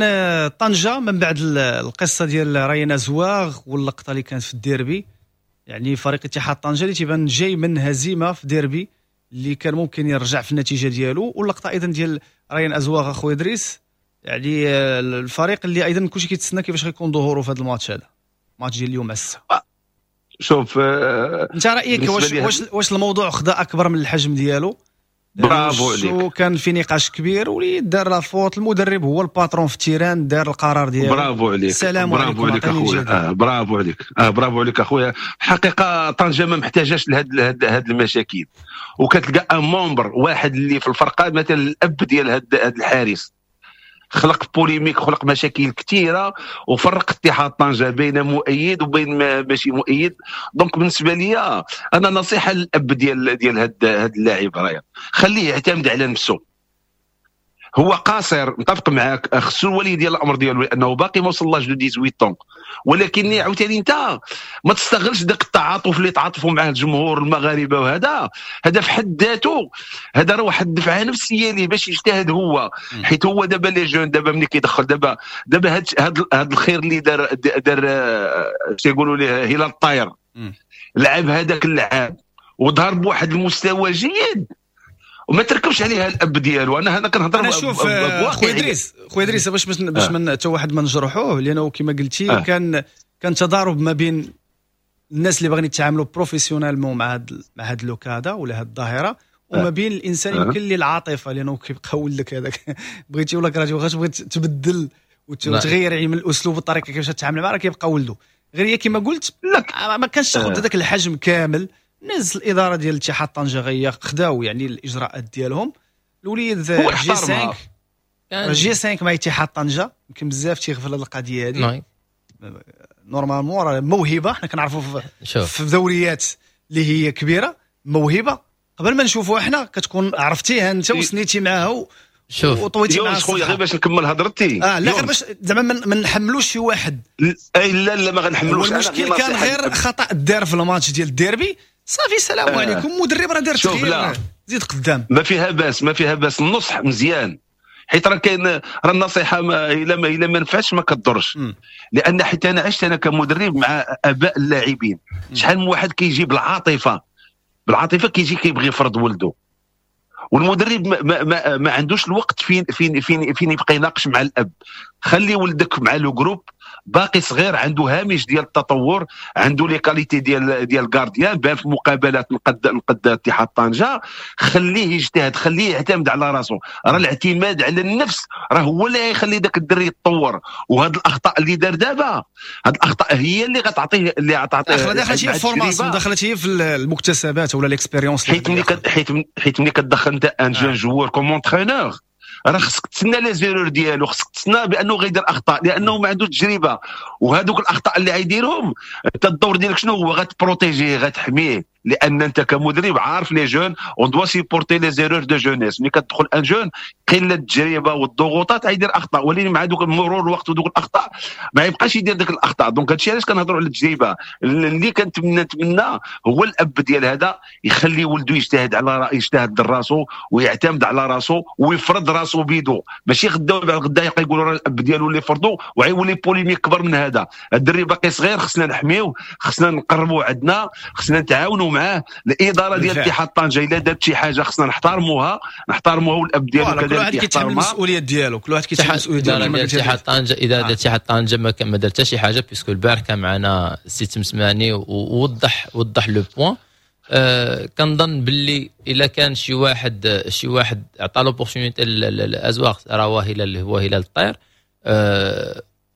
طنجه من بعد القصة ديال ريان ازواغ واللقطه اللي كانت في الديربي، يعني فريق اتحاد طنجه اللي تيبان جاي من هزيمة في ديربي اللي كان ممكن يرجع في النتيجة ديالو، واللقطه ايضا ديال ريان ازواغ. اخويا ادريس، يعني الفريق اللي ايضا كلشي كيتسنى كيفاش غيكون ظهوره في هذا الماتش، هذا الماتش ديال اليوم على الساعه. شوف. انت رايك واش الموضوع خدا اكبر من الحجم ديالو؟ برافو عليك. كان في نقاش كبير وليد دار la faute، المدرب هو ال patron في ال terrain، دار القرار ديالو. برافو عليك، السلام برافو عليك اخويا. برافو عليك، برافو عليك اخويا. الحقيقة طنجه ما محتاجاش لهاد المشاكل، وكتلقى un membre واحد اللي في الفرقة، مثلا الاب ديال هاد الحارس خلق polémique، خلق مشاكل كثيرة وفرق اتحاد طنجه بين مؤيد وبين ماشي مؤيد. donc بالنسبة لي انا نصيحة للاب ديال هاد اللاعب رايا، خليه يعتمد على نفسه. هو قاصر، متفق معاك، خصو الولي ديال الامر ديالو لانه باقي ما وصل l'âge de 18، ولكن عاوتاني انت ما تستغلش داك التعاطف اللي تعاطفوا معاه الجمهور المغاربة، وهذا هذا في حد ذاته هذا راه واحد الدفعة نفسية ليه باش يجتهد هو، حيت هو دابا les jeunes دابا ملي كيدخل دابا هاد الخير اللي دار تيقولوا ليه هلال الطاير، لعب هذاك اللعاب وظهر بواحد المستوى جيد وما تركبش عليها الاب ديالو. انا هنا كنهضر. انا شوف خويا ادريس، خويا ادريس باش من حتى واحد ما نجرحوه، لانه كما قلتي كان تضارب ما بين الناس اللي باغيين يتعاملوا professionnellement مع هاد le cas هذا ولا هاد الظاهرة، وما بين الانسان يمكن اللي العاطفة، لانه كيبقى ولدك هذاك بغيتي ولا كرهتي واخا تبغي تبدل وتغير يعني من الاسلوب والطريقة كيفاش تتعامل معاه راه كيبقى ولده. غير هي كما قلت ما كانش تاخذ هذاك الحجم كامل. ناس الادارة ديال الاتحاد طنجه غير خداو يعني الاجراءات ديالهم. الوليد G5 G5 مع اتحاد طنجه يمكن بزاف تيغفل هذه القضية هذه. normalement راه موهبة، حنا كنعرفوا في دوريات اللي هي كبيرة موهبة قبل ما نشوفوها حنا كتكون عرفتيها انت وسنيتي معاها وطويتي معاها. خويا غير باش نكمل هضرتي لا غير باش زعما ما نحملوش شي واحد. اي لا ما غنحملوش. المشكل كان غير خطا دار في الماتش ديال الديربي، صافي السلام عليكم، مدرب راه دار تغيير زيد قدام، ما فيها باس، ما فيها باس. النصح مزيان، حيت راه كاين راه النصيحة الا ما نفعتش ما كضرش، لان حيت انا عشت انا كمدرب مع اباء اللاعبين، شحال من واحد كيجي بالعاطفه كيجي كيبغي يفرض ولده، والمدرب ما, ما, ما عندوش الوقت فين فين فين فين يبقى يناقش مع الاب. خلي ولدك مع le groupe، باقي صغير، عنده هامش ديال التطور، عنده les qualités ديال gardien، بان في مقابلات نقد اتحاد طنجه. خليه يجتهد، خليه يعتمد على راسه. راه الاعتماد على النفس راه هو اللي يخلي داك الدري يتطور. وهاد الاخطاء اللي دار دابا، هاد الاخطاء هي اللي غتعطيه دخلت هي في formation، دخلت هي في المكتسبات ولا l'expérience. حيت ملي كتدخل انت un jeune joueur comme entraîneur، راه خصك تسنى les erreurs ديالو، خصك تسنى بانه غيدير اخطاء لانه ما عندوش تجربه، وهذوك الاخطاء اللي غيديرهم انت الدور ديالك شنو هو؟ غت protéger، غتحميه، لان انت كمدرب عارف les jeunes on doit supporter les erreurs de jeunesse. ملي كتدخل un jeune قلة التجربة والضغوطات غيدير اخطاء، ولكن مع دوك مرور الوقت ودوك الاخطاء ما يبقاش يدير ديك الاخطاء. donc هادشي علاش كنهضروا على التجربة. اللي كنتمنى هو الاب ديال هذا يخلي ولده يجتهد على يجتهد راسو ويعتمد على راسو ويفرض راسو بيدو، ماشي غدا ولا غدا يبقى يقولوا راه الاب ديالو اللي فرضو وغيولي polémique كبر من هذا. الدري باقي صغير، خصنا نحميوه، خصنا نقربوه عندنا، خصنا نتعاونوا معاه. الادارة ديال اتحاد طنجه الا دارت شي حاجة خصنا نحترموها، والاب ديالو كذلك كل واحد كيتحمل المسؤولية ديالو، كل واحد كيتحمل المسؤولية ديالو. كما اتحاد طنجه، اذا دارت اتحاد طنجه ما دار حتى شي حاجة، puisque البارح كان معنا السي تمسماني ووضح le point. كنظن باللي الا كان شي واحد عطى l'opportunité للازواق راه هو هلال الطير،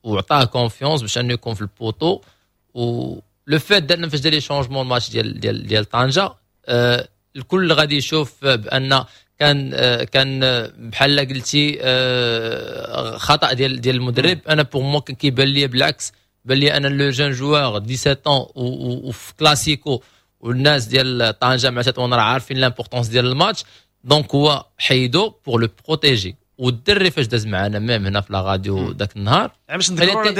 وعطاه confiance باش انه يكون في ال poteau. و le fait درنا فاش دار les changements الماتش ديال ديال ديال طنجه، الكل غادي يشوف بان كان بحال قلتي خطا ديال المدرب. انا pour moi كان كيبان لي بالعكس، بان لي انا le jeune joueur 17 وفي كلاسيكو، والناس ديال طنجه مع تطوان راه عارفين l'importance ديال الماتش، donc هو حيدو pour le protéger. والدري فاش داز معنا même هنا في la radio ذاك النهار، يعني باش نذكروا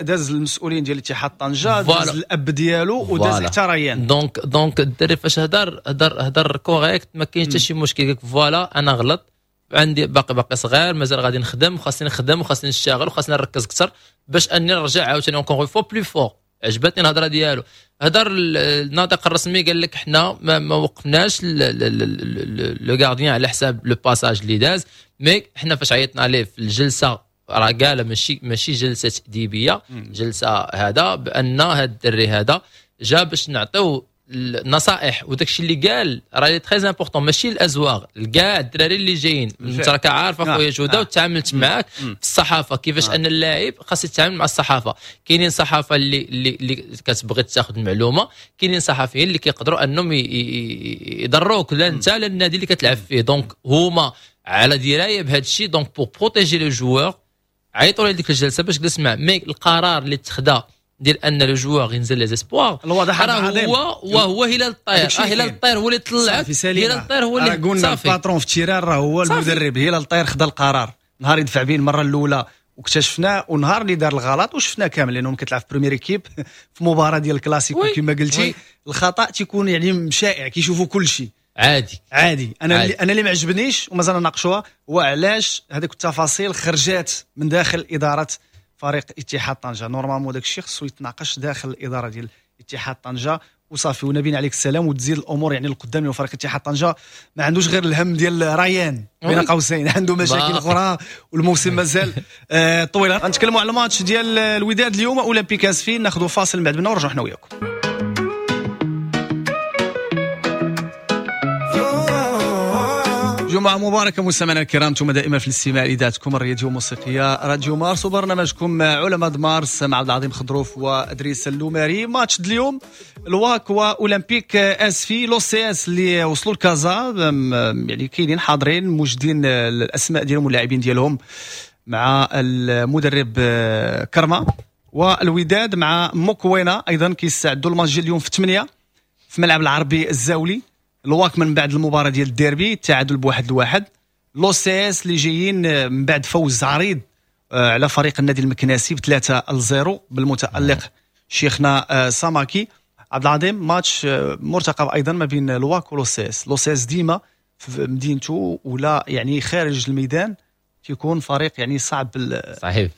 داز المسؤولين ديال اتحاد طنجه، داز الاب ديالو وداز حتى ريان. donc الدري فاش هضر correct، ما كاينش حتى شي مشكل. قالك voilà انا غلط، عندي باقي صغير، مازال غادي نخدم، وخاصني نخدم وخاصني نشتغل وخاصني نركز اكثر باش اني نرجع عاوتاني encore fois plus fort. عجبتني الهضرة ديالو. هضر الناطق الرسمي قال لك حنا ما وقفناش le gardien على حساب le passage اللي داز، mais حنا فاش عيطنا عليه في الجلسة راه قال ماشي جلسه تاديبيه، جلسه هذا بان هذا الدري هذا جا باش نعطيو النصائح وداك الشيء اللي قال راه très important، ماشي الازواغ، كاع الدراري اللي جايين. انت راك عارف اخويا جوده وتعاملت معاك في الصحافة كيفاش ان اللاعب خاص يتعامل مع الصحافة. كاينين صحافة اللي كتبغي تاخذ المعلومة، كاينين صحفيين اللي كيقدروا انهم يضروك لا انت لا النادي اللي كتلعب فيه. donc هما على دراية بهذا الشيء، donc pour protéger le joueur عيطوا لديك الجلسة باش جلس معاه. mais القرار اللي اتخذ ديال ان le joueur ينزل les espoirs راه هو وهو هلال الطير، هلال الطير هو اللي طلعك، هلال الطير هو اللي قلنا ال patron في ال terrain راه هو المدرب. هلال الطير خدا القرار نهار يدفع به المرة الاولى واكتشفناه، ونهار اللي دار الغلط وشفناه كامل، لانه كتلعب في première équipe في مباراة ديال الكلاسيكو كما قلتي الخطا تيكون يعني شائع، كيشوفوا كل شيء عادي عادي. انا عادي. انا اللي ما عجبنيش ومازال نناقشوها هو علاش هذيك التفاصيل خرجات من داخل ادارة فريق اتحاد طنجه. normalement داك الشيء خصو يتناقش داخل الادارة ديال اتحاد طنجه وصافي. ونبينا عليك السلام وتزيد الامور يعني القدام. لفريق اتحاد طنجه ما عندوش غير الهم ديال ريان بين قوسين، عنده مشاكل اخرى والموسم مازال طويل. غنتكلموا على الماتش ديال الوداد اليوم اولمبيك اسفي، ناخذوا فاصل من بعد منا ونرجعوا حنا وياكم. جمعة مباركة مستمعينا الكرام، انتم دائما في الاستماع لإذاعتكم الرياضية والموسيقية راديو مارس وبرنامجكم علماء مارس مع عبد العظيم خضروف وادريس اللوماري. ماتش اليوم الواك واولمبيك اسفي، l'OCS اللي وصلوا لكازا يعني كاينين حاضرين موجدين الاسماء ديالهم واللاعبين ديالهم مع المدرب كرما، والوداد مع موكوينا ايضا كيستعدوا الماتش اليوم في 8 في ملعب العربي الزاولي. الواك من بعد المباراة ديال الديربي التعادل ب1-1. l'OCS اللي جايين من بعد فوز عريض على فريق النادي المكناسي ب3-0 بالمتالق شيخنا ساماكي. عبد العظيم ماتش مرتقب ايضا ما بين الواك و l'OCS. l'OCS ديما في مدينته ولا يعني خارج الميدان تيكون فريق يعني صعب. صحيح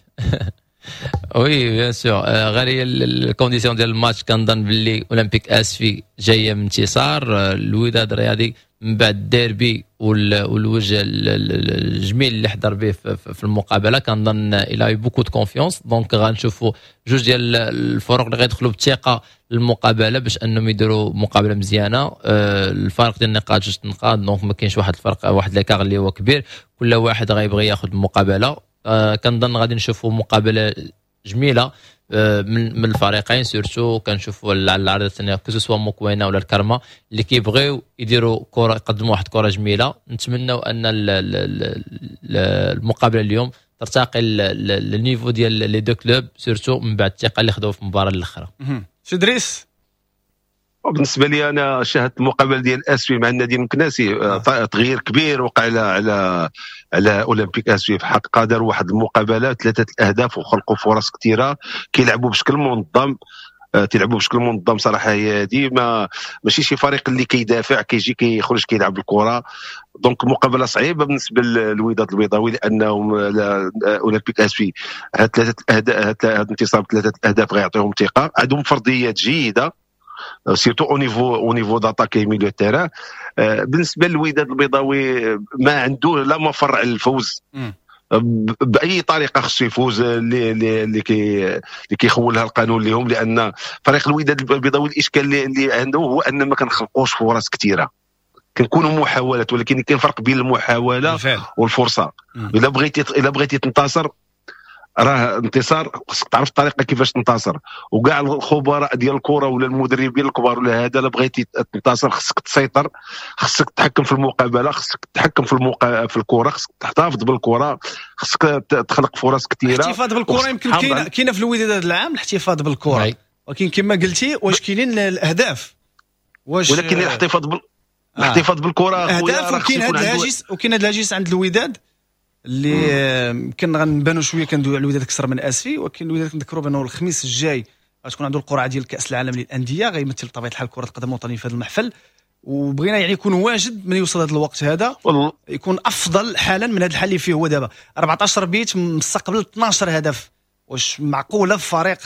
oui bien sûr. غير هي ال conditions ديال الماتش كنظن باللي اولمبيك اسفي جاية من انتصار، الوداد الرياضي من بعد الديربي والوجه الجميل اللي حضر به في المقابلة كنظن il a beaucoup de confiance. donc غنشوفوا جوج ديال الفرق اللي غيدخلوا بالثقة للمقابله باش انهم يديروا مقابله مزيانه. الفرق ديال النقاط 2 نقاط، donc ما كاينش واحد الفرق واحد l'écart اللي هو كبير، كل واحد غيبغي ياخذ المقابلة. كنظن غادي نشوفوا مقابله جميلة من الفريقين، surtout كنشوفوا على العرض الثانية que ce soit موكوينا ولا الكرمة اللي كيبغيو يديروا كره، يقدموا واحد الكره جميلة. نتمنوا ان المقابلة اليوم ترتقي لل niveau ديال les deux clubs، surtout من بعد الثقة اللي خداو في المباراة الاخرى. سي دريس، بالنسبة لي انا شاهدت المقابلة ديال اسفي مع النادي المكناسي، تغيير كبير وقع على على على اولمبيك اسفي. في الحقيقة داروا واحد المقابلة 3 الاهداف وخلقوا فرص كثيرة، كيلعبوا بشكل منظم، تيلعبوا بشكل منظم صراحة. هي هذه ماشي شي فريق اللي كيدافع كيجي كيخرج كيلعب الكره. donc مقابله صعيبة بالنسبة للوداد البيضاوي، لانهم اولمبيك اسفي هاد 3 الاهداف، هاد الانتصار 3 الاهداف غيعطيهم ثقة، عندهم فرضيات جيدة surtout au niveau d'attaque milieu terrain. بالنسبة للوداد البيضاوي ما عنده لا مفر على الفوز باي طريقه، خصو يفوز اللي كيخولها القانون لهم، لان فريق الوداد البيضاوي الاشكال اللي عنده هو ان ما كنخلقوش فرص كثيرة، كنكونوا محاولات، ولكن كاين فرق بين المحاولة والفرصة. الا بغيتي تنتصر راه انتصار خصك تعرف الطريقة كيفاش تنتصر، وكاع الخبراء ديال الكره ولا المدربين الكبار ولا هذا، لا بغيتي تنتصر خصك تسيطر، خصك تتحكم في المقابلة، خصك تتحكم في الكره، خصك تحتفظ بالكرة، خصك تخلق فرص كثيرة. الاحتفاظ بالكرة يمكن كاينه في الوداد هذا العام الاحتفاظ بالكرة، ولكن كما قلتي واش كاينين الاهداف، واش ولكن الاحتفاظ بالكرة اهداف. وكاين هذا الهاجس، وكاين هذا الهاجس عند الوداد اللي يمكن غنبانوا شوية كندويو على الوداد اكثر من اسفي، ولكن الوداد كنذكروا بانه الخميس الجاي غتكون عنده القرعة ديال كاس العالم للاندية، غيمثل بطبيعة الحال كره القدم الوطنية في هذا المحفل، وبغينا يعني يكون واجد من يوصل هذا الوقت هذا يكون افضل حالا من هذا الحال اللي فيه هو دابا. 14 بيت مستقبل 12 هدف، واش معقولة في فريق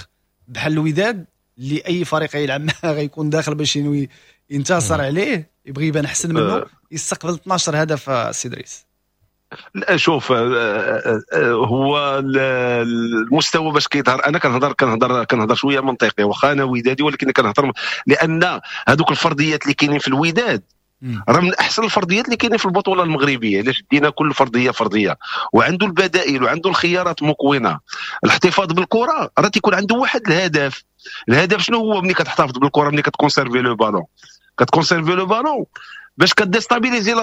بحال الوداد اللي اي فريق يلعب معاه غيكون داخل باش ينوي ينتصر عليه، يبغي يبان احسن منه، يستقبل 12 هدف؟ سي دريس، لا شوف، هو المستوى باش كيظهر، انا كنهضر شوية منطقي، واخا انا ودادي ولكن كنهضر لان هذوك الفرديات اللي كاينين في الوداد راه من احسن الفرديات اللي كاينين في البطولة المغربية. علاش دينا كل فرضية فرضية، وعنده البدائل وعنده الخيارات مكونة. الاحتفاظ بالكرة راه تيكون عنده واحد الهدف. الهدف شنو هو؟ ملي كتحتفظ بالكرة، ملي كت conserver le ballon، كت conserver le ballon باش ك déstabiliser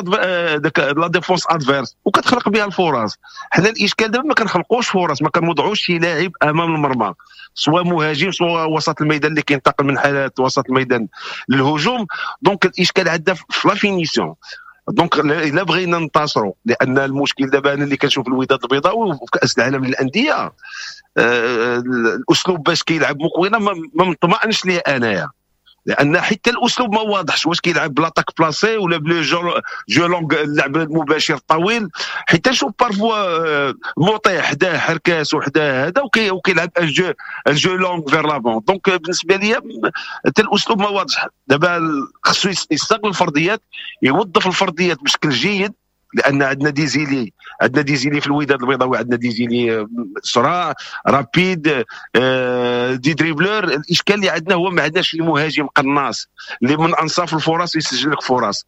la défense adverse وكتخلق بها الفرص. حنا الاشكال دابا ما كنخلقوش فرص، ما كنوضعوش شي لاعب امام المرمى، سواء مهاجم سواء وسط الميدان اللي كينتقل من حالات وسط الميدان للهجوم. donc الاشكال عندنا في la finition. donc الا بغينا ننتصروا، لان المشكل دابا انا اللي كنشوف الوداد البيضاوي وفي كاس العالم للاندية، الاسلوب باش كيلعب مكوينه ما مطمئنش ليه انايا، لان حتى الاسلوب ما واضحش، واش كيلعب ب l'attaque placée ولا ب le jeu long، اللعب المباشر الطويل. حتى نشوف parfois مطيع حداه حركاس وحداه هذا وكيلعب un jeu long vers l'avant. donc بالنسبة لي حتى الاسلوب ما واضح. دابا خصو يستغل الفرديات، يوظف الفرديات بشكل جيد، لان عندنا des ailiers، عندنا des ailiers في الوداد البيضاوي، عندنا des ailiers سراع rapides، des dribbleurs. الاشكال اللي عندنا هو ما عندناش المهاجم قناص اللي من انصاف الفرص يسجل لك فرص.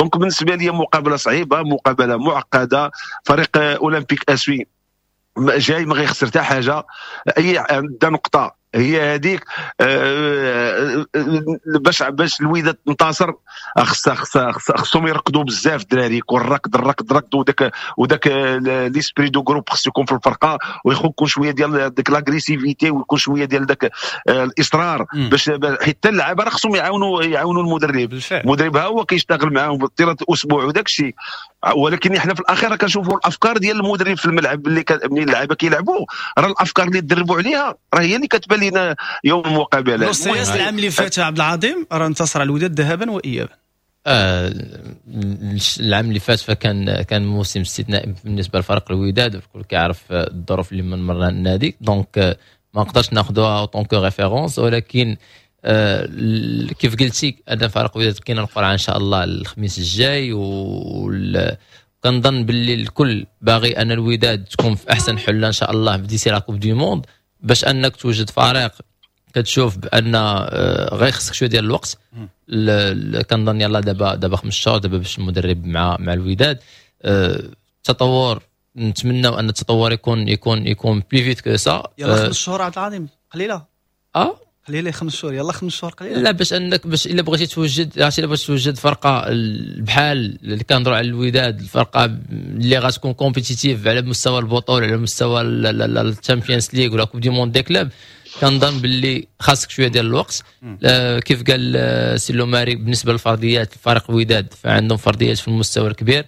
donc بالنسبة لي مقابله صعيبة، مقابله معقده. فريق اولمبيك اسفي جاي ما غيخسر حتى حاجة، اي نقطة هي هذيك. باش الوداد تنتصر خصهم يركضوا بزاف الدراري، يكون الركض الركض الركض، وداك l'esprit de groupe خصو يكون في الفرقة، ويكون شوية ديال ديك l'agressivité، ويكون شوية ديال داك الاصرار، باش حتى اللعابه راه خصهم يعاونوا المدرب. بالفعل. المدرب ها هو كيشتغل معاهم طيلة الاسبوع وداك الشيء، ولكن احنا في الاخير كنشوفوا الافكار ديال المدرب في الملعب اللي ملي اللعابه كيلعبوا، راه الافكار اللي تدربوا عليها راه هي اللي كتبان لنا يوم المقابلة. العام اللي فات عبد العظيم راه انتصر على الوداد ذهابا وايابا. العام اللي فات فكان موسم استثنائي بالنسبة لفريق الوداد، والكل كيعرف الظروف اللي من مرنا النادي، donc ما نقدرش ناخذوها en tant que référence. ولكن كيف قلتي ان فريق الوداد كاين القرعة ان شاء الله الخميس الجاي، وكنظن باللي الكل باغي ان الوداد تكون في احسن حله ان شاء الله d'ici la Coupe du Monde، باش انك توجد فريق كتشوف بان غير خصك شوية ديال الوقت. كنظن يلاه دابا 5 شهور دابا باش المدرب مع الوداد. التطور نتمنى ان التطور يكون plus vite que ça. يلا 5 شهور عبد العظيم قليله. قليله 5 شهور، يلا 5 شهور قليله. لا، باش انك باش الا بغيتي توجد، عرفتي، الا بغيتي توجد فرقه بحال اللي كنهضروا على الوداد، الفرقة اللي غتكون compétitive على مستوى البطولة، على مستوى ال Champions League ولا Coupe du Monde des clubs، كنظن باللي خاصك شوية ديال الوقت. كيف قال سي لوماري، بالنسبة للفرديات الفريق الوداد فعندهم فرديات في المستوى الكبير،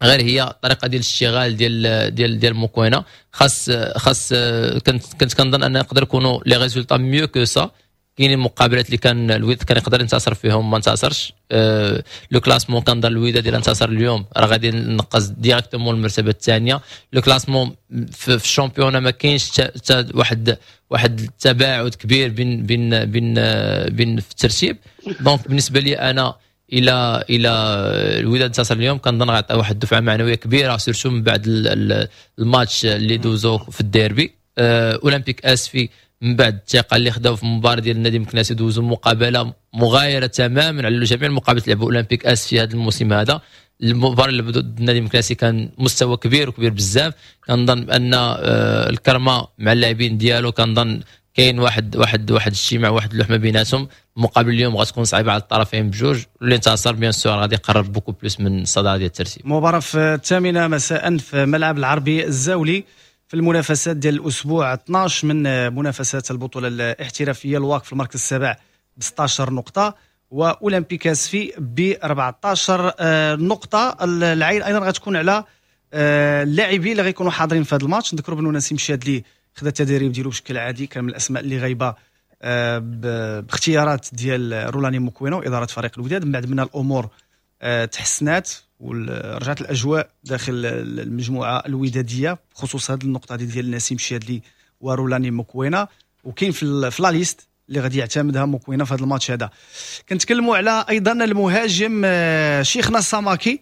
غير هي الطريقة ديال الاشتغال ديال موكوينا خاص كنت كنظن ان يقدر يكونوا les résultats mieux que ça. كاينين مقابلات اللي كان الوداد كان يقدر ينتصر فيهم ما انتصرش. Le classement كنظن الوداد الا انتصر اليوم راه غادي نقز directement المرتبة الثانية. le classement في ال championnat ما كاينش واحد التباعد كبير بين في الترتيب. donc بالنسبة لي انا الى الوداد انتصر اليوم كنظن غيعطي واحد الدفعة معنوية كبيره، surtout من بعد الماتش اللي دوزو في الديربي. اولمبيك اسفي من بعد الثقة اللي خداو في المباراة ديال النادي المكناسي دوزو مقابله مغايرة تماما على جميع المقابلات اللي لعبوا اولمبيك اسفي هذا الموسم هذا. المباراة اللي ضد النادي المكناسي كان مستوى كبير وكبير بزاف. كنظن بان الكرمة مع اللاعبين ديالو، كنظن كاين واحد الاجتماع، واحد اللحمة بيناتهم. المقابل اليوم غتكون صعيبة على الطرفين بجوج، اللي انتصر bien sûr غادي يقرب beaucoup plus من الصدارة ديال الترتيب. مباراة في 8 مساء في ملعب العربي الزاولي في المنافسات ديال الاسبوع 12 من منافسات البطولة الاحترافيه. الواك في المركز السابع ب 16 نقطة واولمبيك اسفي ب 14 نقطه. العين ايضا غتكون على اللاعبين اللي غيكونوا حاضرين في هذا الماتش. نذكروا بأنه نسيم شادلي خدا التدريب ديالو بشكل عادي، كان من الاسماء اللي غايبة باختيارات ديال رولاني موكوينو واداره فريق الوداد. من بعد من الامور تحسنات ورجعت الاجواء داخل المجموعة الوداديه بخصوص هذه النقطة ديال نسيم شادلي ورولاني موكوينا، وكاين في la liste اللي غادي يعتمدها موكوينا في هذا الماتش هذا. كنتكلموا على ايضا المهاجم شيخنا الساماكي.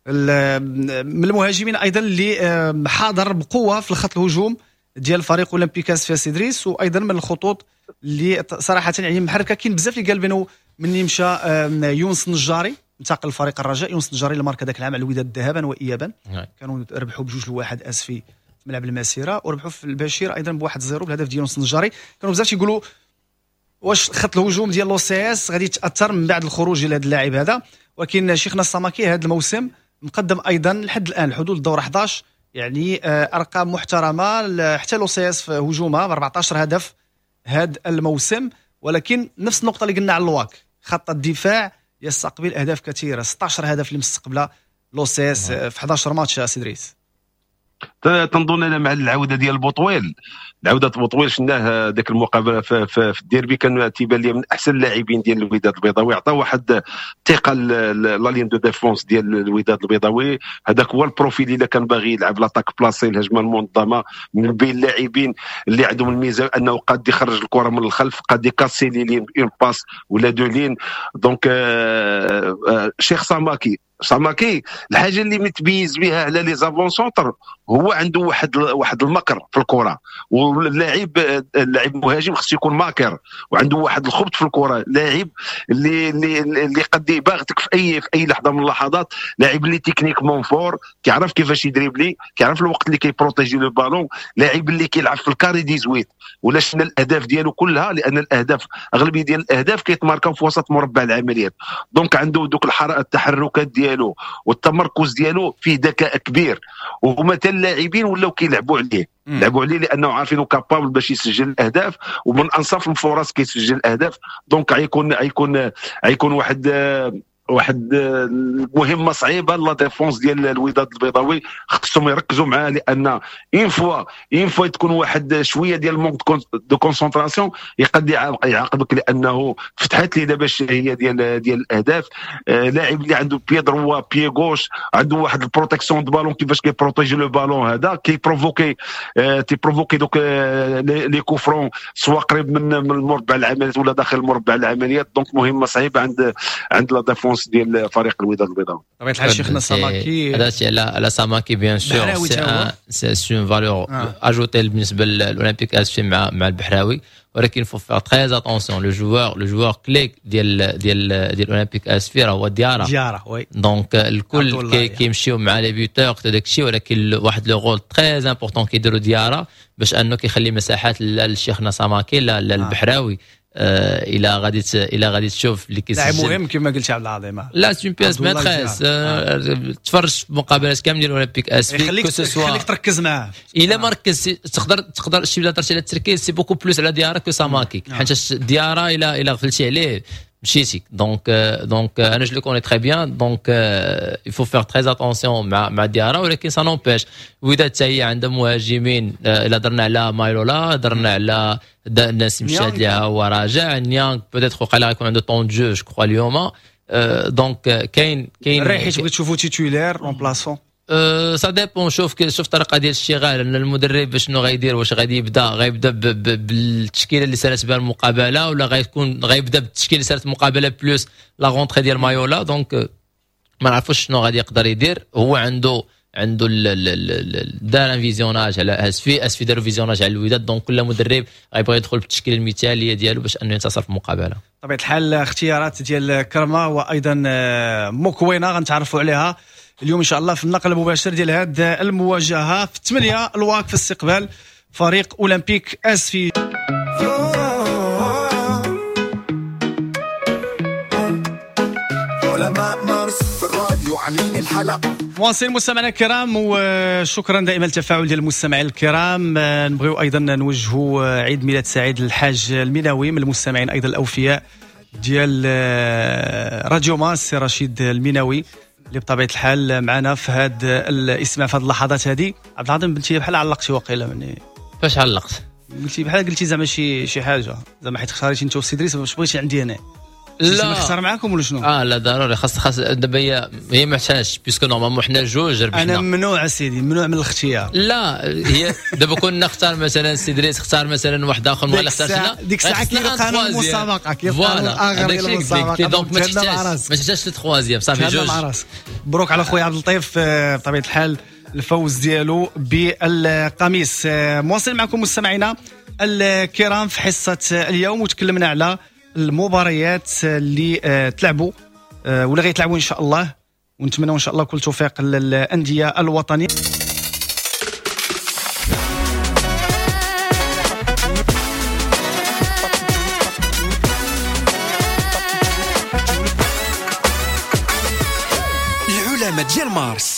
من المهاجمين ايضا اللي حاضر بقوة في الخط الهجوم ديال فريق اولمبيك اسفي سي ادريس، وايضا من الخطوط اللي صراحة يعني محركة. كاين بزاف اللي قال بانه مني مشى يونس النجاري انتقل لفريق الرجاء، يونس النجاري اللي ماركا ذاك العام على الوداد ذهابا وايابا، كانوا ربحوا ب2-1 اسفي في ملعب المسيرة، وربحوا في البشير ايضا ب1-0 بالهدف ديال يونس النجاري. كانوا بزاف تيقولوا واش خط الهجوم ديال l'OCS غادي يتاثر من بعد الخروج ديال هذا اللاعب هذا، ولكن شيخنا السماكي هذا الموسم مقدم ايضا لحد الان حدود الدور 11 يعني ارقام محترمه، حتى l'OCS في هجومها 14 هدف هذا الموسم. ولكن نفس النقطة اللي قلنا على الواك، خط الدفاع يستقبل اهداف كثيرة، 16 هدف اللي مستقبله l'OCS في 11 ماتش. سي دريس تنظن انا مع العودة ديال بوطويل، العودة بوطويل شفناه ذاك المقابلة في الديربي، كان تيبان لي من احسن اللاعبين ديال الوداد البيضاوي، عطى واحد الثقة la ligne de défense ديال الوداد البيضاوي. هذاك هو ال profil اللي كان باغي يلعب l'attaque placée، الهجمة المنظمة، من بين اللاعبين اللي عندهم الميزة انه قاد يخرج الكره من الخلف، قاد يكاسي les lignes une passe ولا deux lignes. donc شيخ ساماكي الحاجة اللي متميز بها على les avant-centres هو عنده واحد المكر في الكره، واللاعب اللاعب المهاجم خصو يكون ماكر وعنده واحد الخبط في الكره، لاعب اللي اللي اللي قد يباغتك في اي لحظة من اللحظات، لاعب اللي techniquement fort، كيعرف كيفاش يدريبلي، كيعرف الوقت اللي كي protéger le ballon، لاعب اللي كيلعب في ال carré 18 ولا شفنا الاهداف ديالو كلها، لان الاهداف اغلبية ديال الاهداف كيتماركاو في وسط مربع العمليات. donc عنده دوك التحركات ديالو والتمركز ديالو فيه ذكاء كبير، وهما حتى اللاعبين ولاو كيلعبوا عليه، لعبوا عليه لانه عارفينه capable باش يسجل الاهداف، ومن انصاف الفرص كيسجل الاهداف. donc غيكون واحد المهمة صعيبة la défense ديال الوداد البيضاوي، خصهم يركزوا معاه، لان une fois تكون واحد شوية ديال manque de concentration يقد يعاقبك، لانه فتحت لي دابا الشهية ديال الاهداف. لاعب اللي عنده pied droit pied gauche، عنده واحد ال protection de ballon، كيفاش كي protéger le ballon، هذا كي provoquer تي provoquer دوك les coups francs، سواء قريب من المربع العمليات ولا داخل مربع العمليات. donc مهمة صعيبة عند la défense ديال فريق الوداد البيضاوي. بطبيعة الحال شيخنا ساماكي هذا على ساماكي bien sûr c'est une valeur ajoutée بالنسبة للاولمبيك اسفي مع البحراوي، ولكن faut faire très attention، le joueur clé ديال ديال ديال الاولمبيك اسفي راه هو ديارا oui. donc الكل كيمشيو مع les buteurs داك الشيء، ولكن واحد le rôle très important كيديروا ديارا باش انه كيخلي مساحات للشيخنا ساماكي للبحراوي. الى غادي تشوف اللي كيسجل لاعب مهم كما قلت عبد العظيم، لا c'est une pièce maîtresse. تفرج في مقابلات كاملين ديال الاولمبيك اسفي، يخليك تركز معاه. الا ما ركزتي تقدر شي بلا درتي على التركيز c'est beaucoup plus على ديارا que ساماكي، حيت ديارا الى غفلتي عليه مشيتي. donc انا je le connais très bien، donc il faut faire très attention مع ديارا، ولكن ça n'empêche الوداد حتى هي عندها مهاجمين. الا درنا على مايلولا، درنا على الناس مشات ليها هو راجع نيانغ، peut-être وقع غيكون عنده temps de jeu je crois اليوم. donc كاين الريحي تبغي تشوفو titulaire remplaçant، ça dépend. شوف الطريقة ديال الشغال، ان المدرب شنو غيدير، واش غادي غيبدا بالتشكيله اللي سالت بها المقابلة، ولا غيبدا بالتشكيله اللي سالت المقابلة plus la rentrée ديال مايولا. donc ما نعرفوش شنو غادي يقدر يدير. هو عنده دار un visionnage على اسفي داروا visionnage على الوداد. donc كل مدرب غيبغي يدخل بالتشكيله المثالية ديالو باش انه ينتصر في المقابلة. بطبيعة الحال اختيارات ديال كرما وايضا موكوينا غنتعرفوا عليها اليوم ان شاء الله في النقل المباشر ديال هذه المواجهة في 8 الواك في استقبال فريق اولمبيك اسفي. مواصلين مستمعينا الكرام، وشكرا دائما للتفاعل ديال المستمعين الكرام. نبغيو ايضا نوجهوا عيد ميلاد سعيد للحاج الميناوي من المستمعين ايضا الاوفياء ديال راديو ماس، رشيد الميناوي اللي بطبيعة الحال معنا في هذا الاستماع في هذه اللحظات هذه. عبد العظيم بنتي بحال علقتي وقيله مني. فاش علقت؟ قلتي بحال قلتي زعما شي حاجة زعما حيت اختاريتي انت وسي دريس باش بغيتي عندي انا. لا. نختار معاكم ولا شنو؟ لا ضروري، خاص دابا هي ما محتاجش، puisque normalement حنا جوج ربحنا. انا ممنوع سيدي، ممنوع من الاختيار. لا هي دابا كنا نختار مثلا سي دريس، اختار مثلا واحد اخر، ما اختارش انا. ديك الساعة كاين قانون المسابقة، كاين قانون اخر ديال المسابقة، donc ما تحتاجش troisième، صافي جوج. مبروك على خويا عبد اللطيف بطبيعة الحال الفوز ديالو بالقميص. مواصل معكم مستمعينا الكرام في حصة اليوم، وتكلمنا على المباريات اللي تلعبوا ولا غيتلعبوا ان شاء الله، ونتمنوا ان شاء الله كل توفيق للاندية الوطنية. العلماء ديال مارس.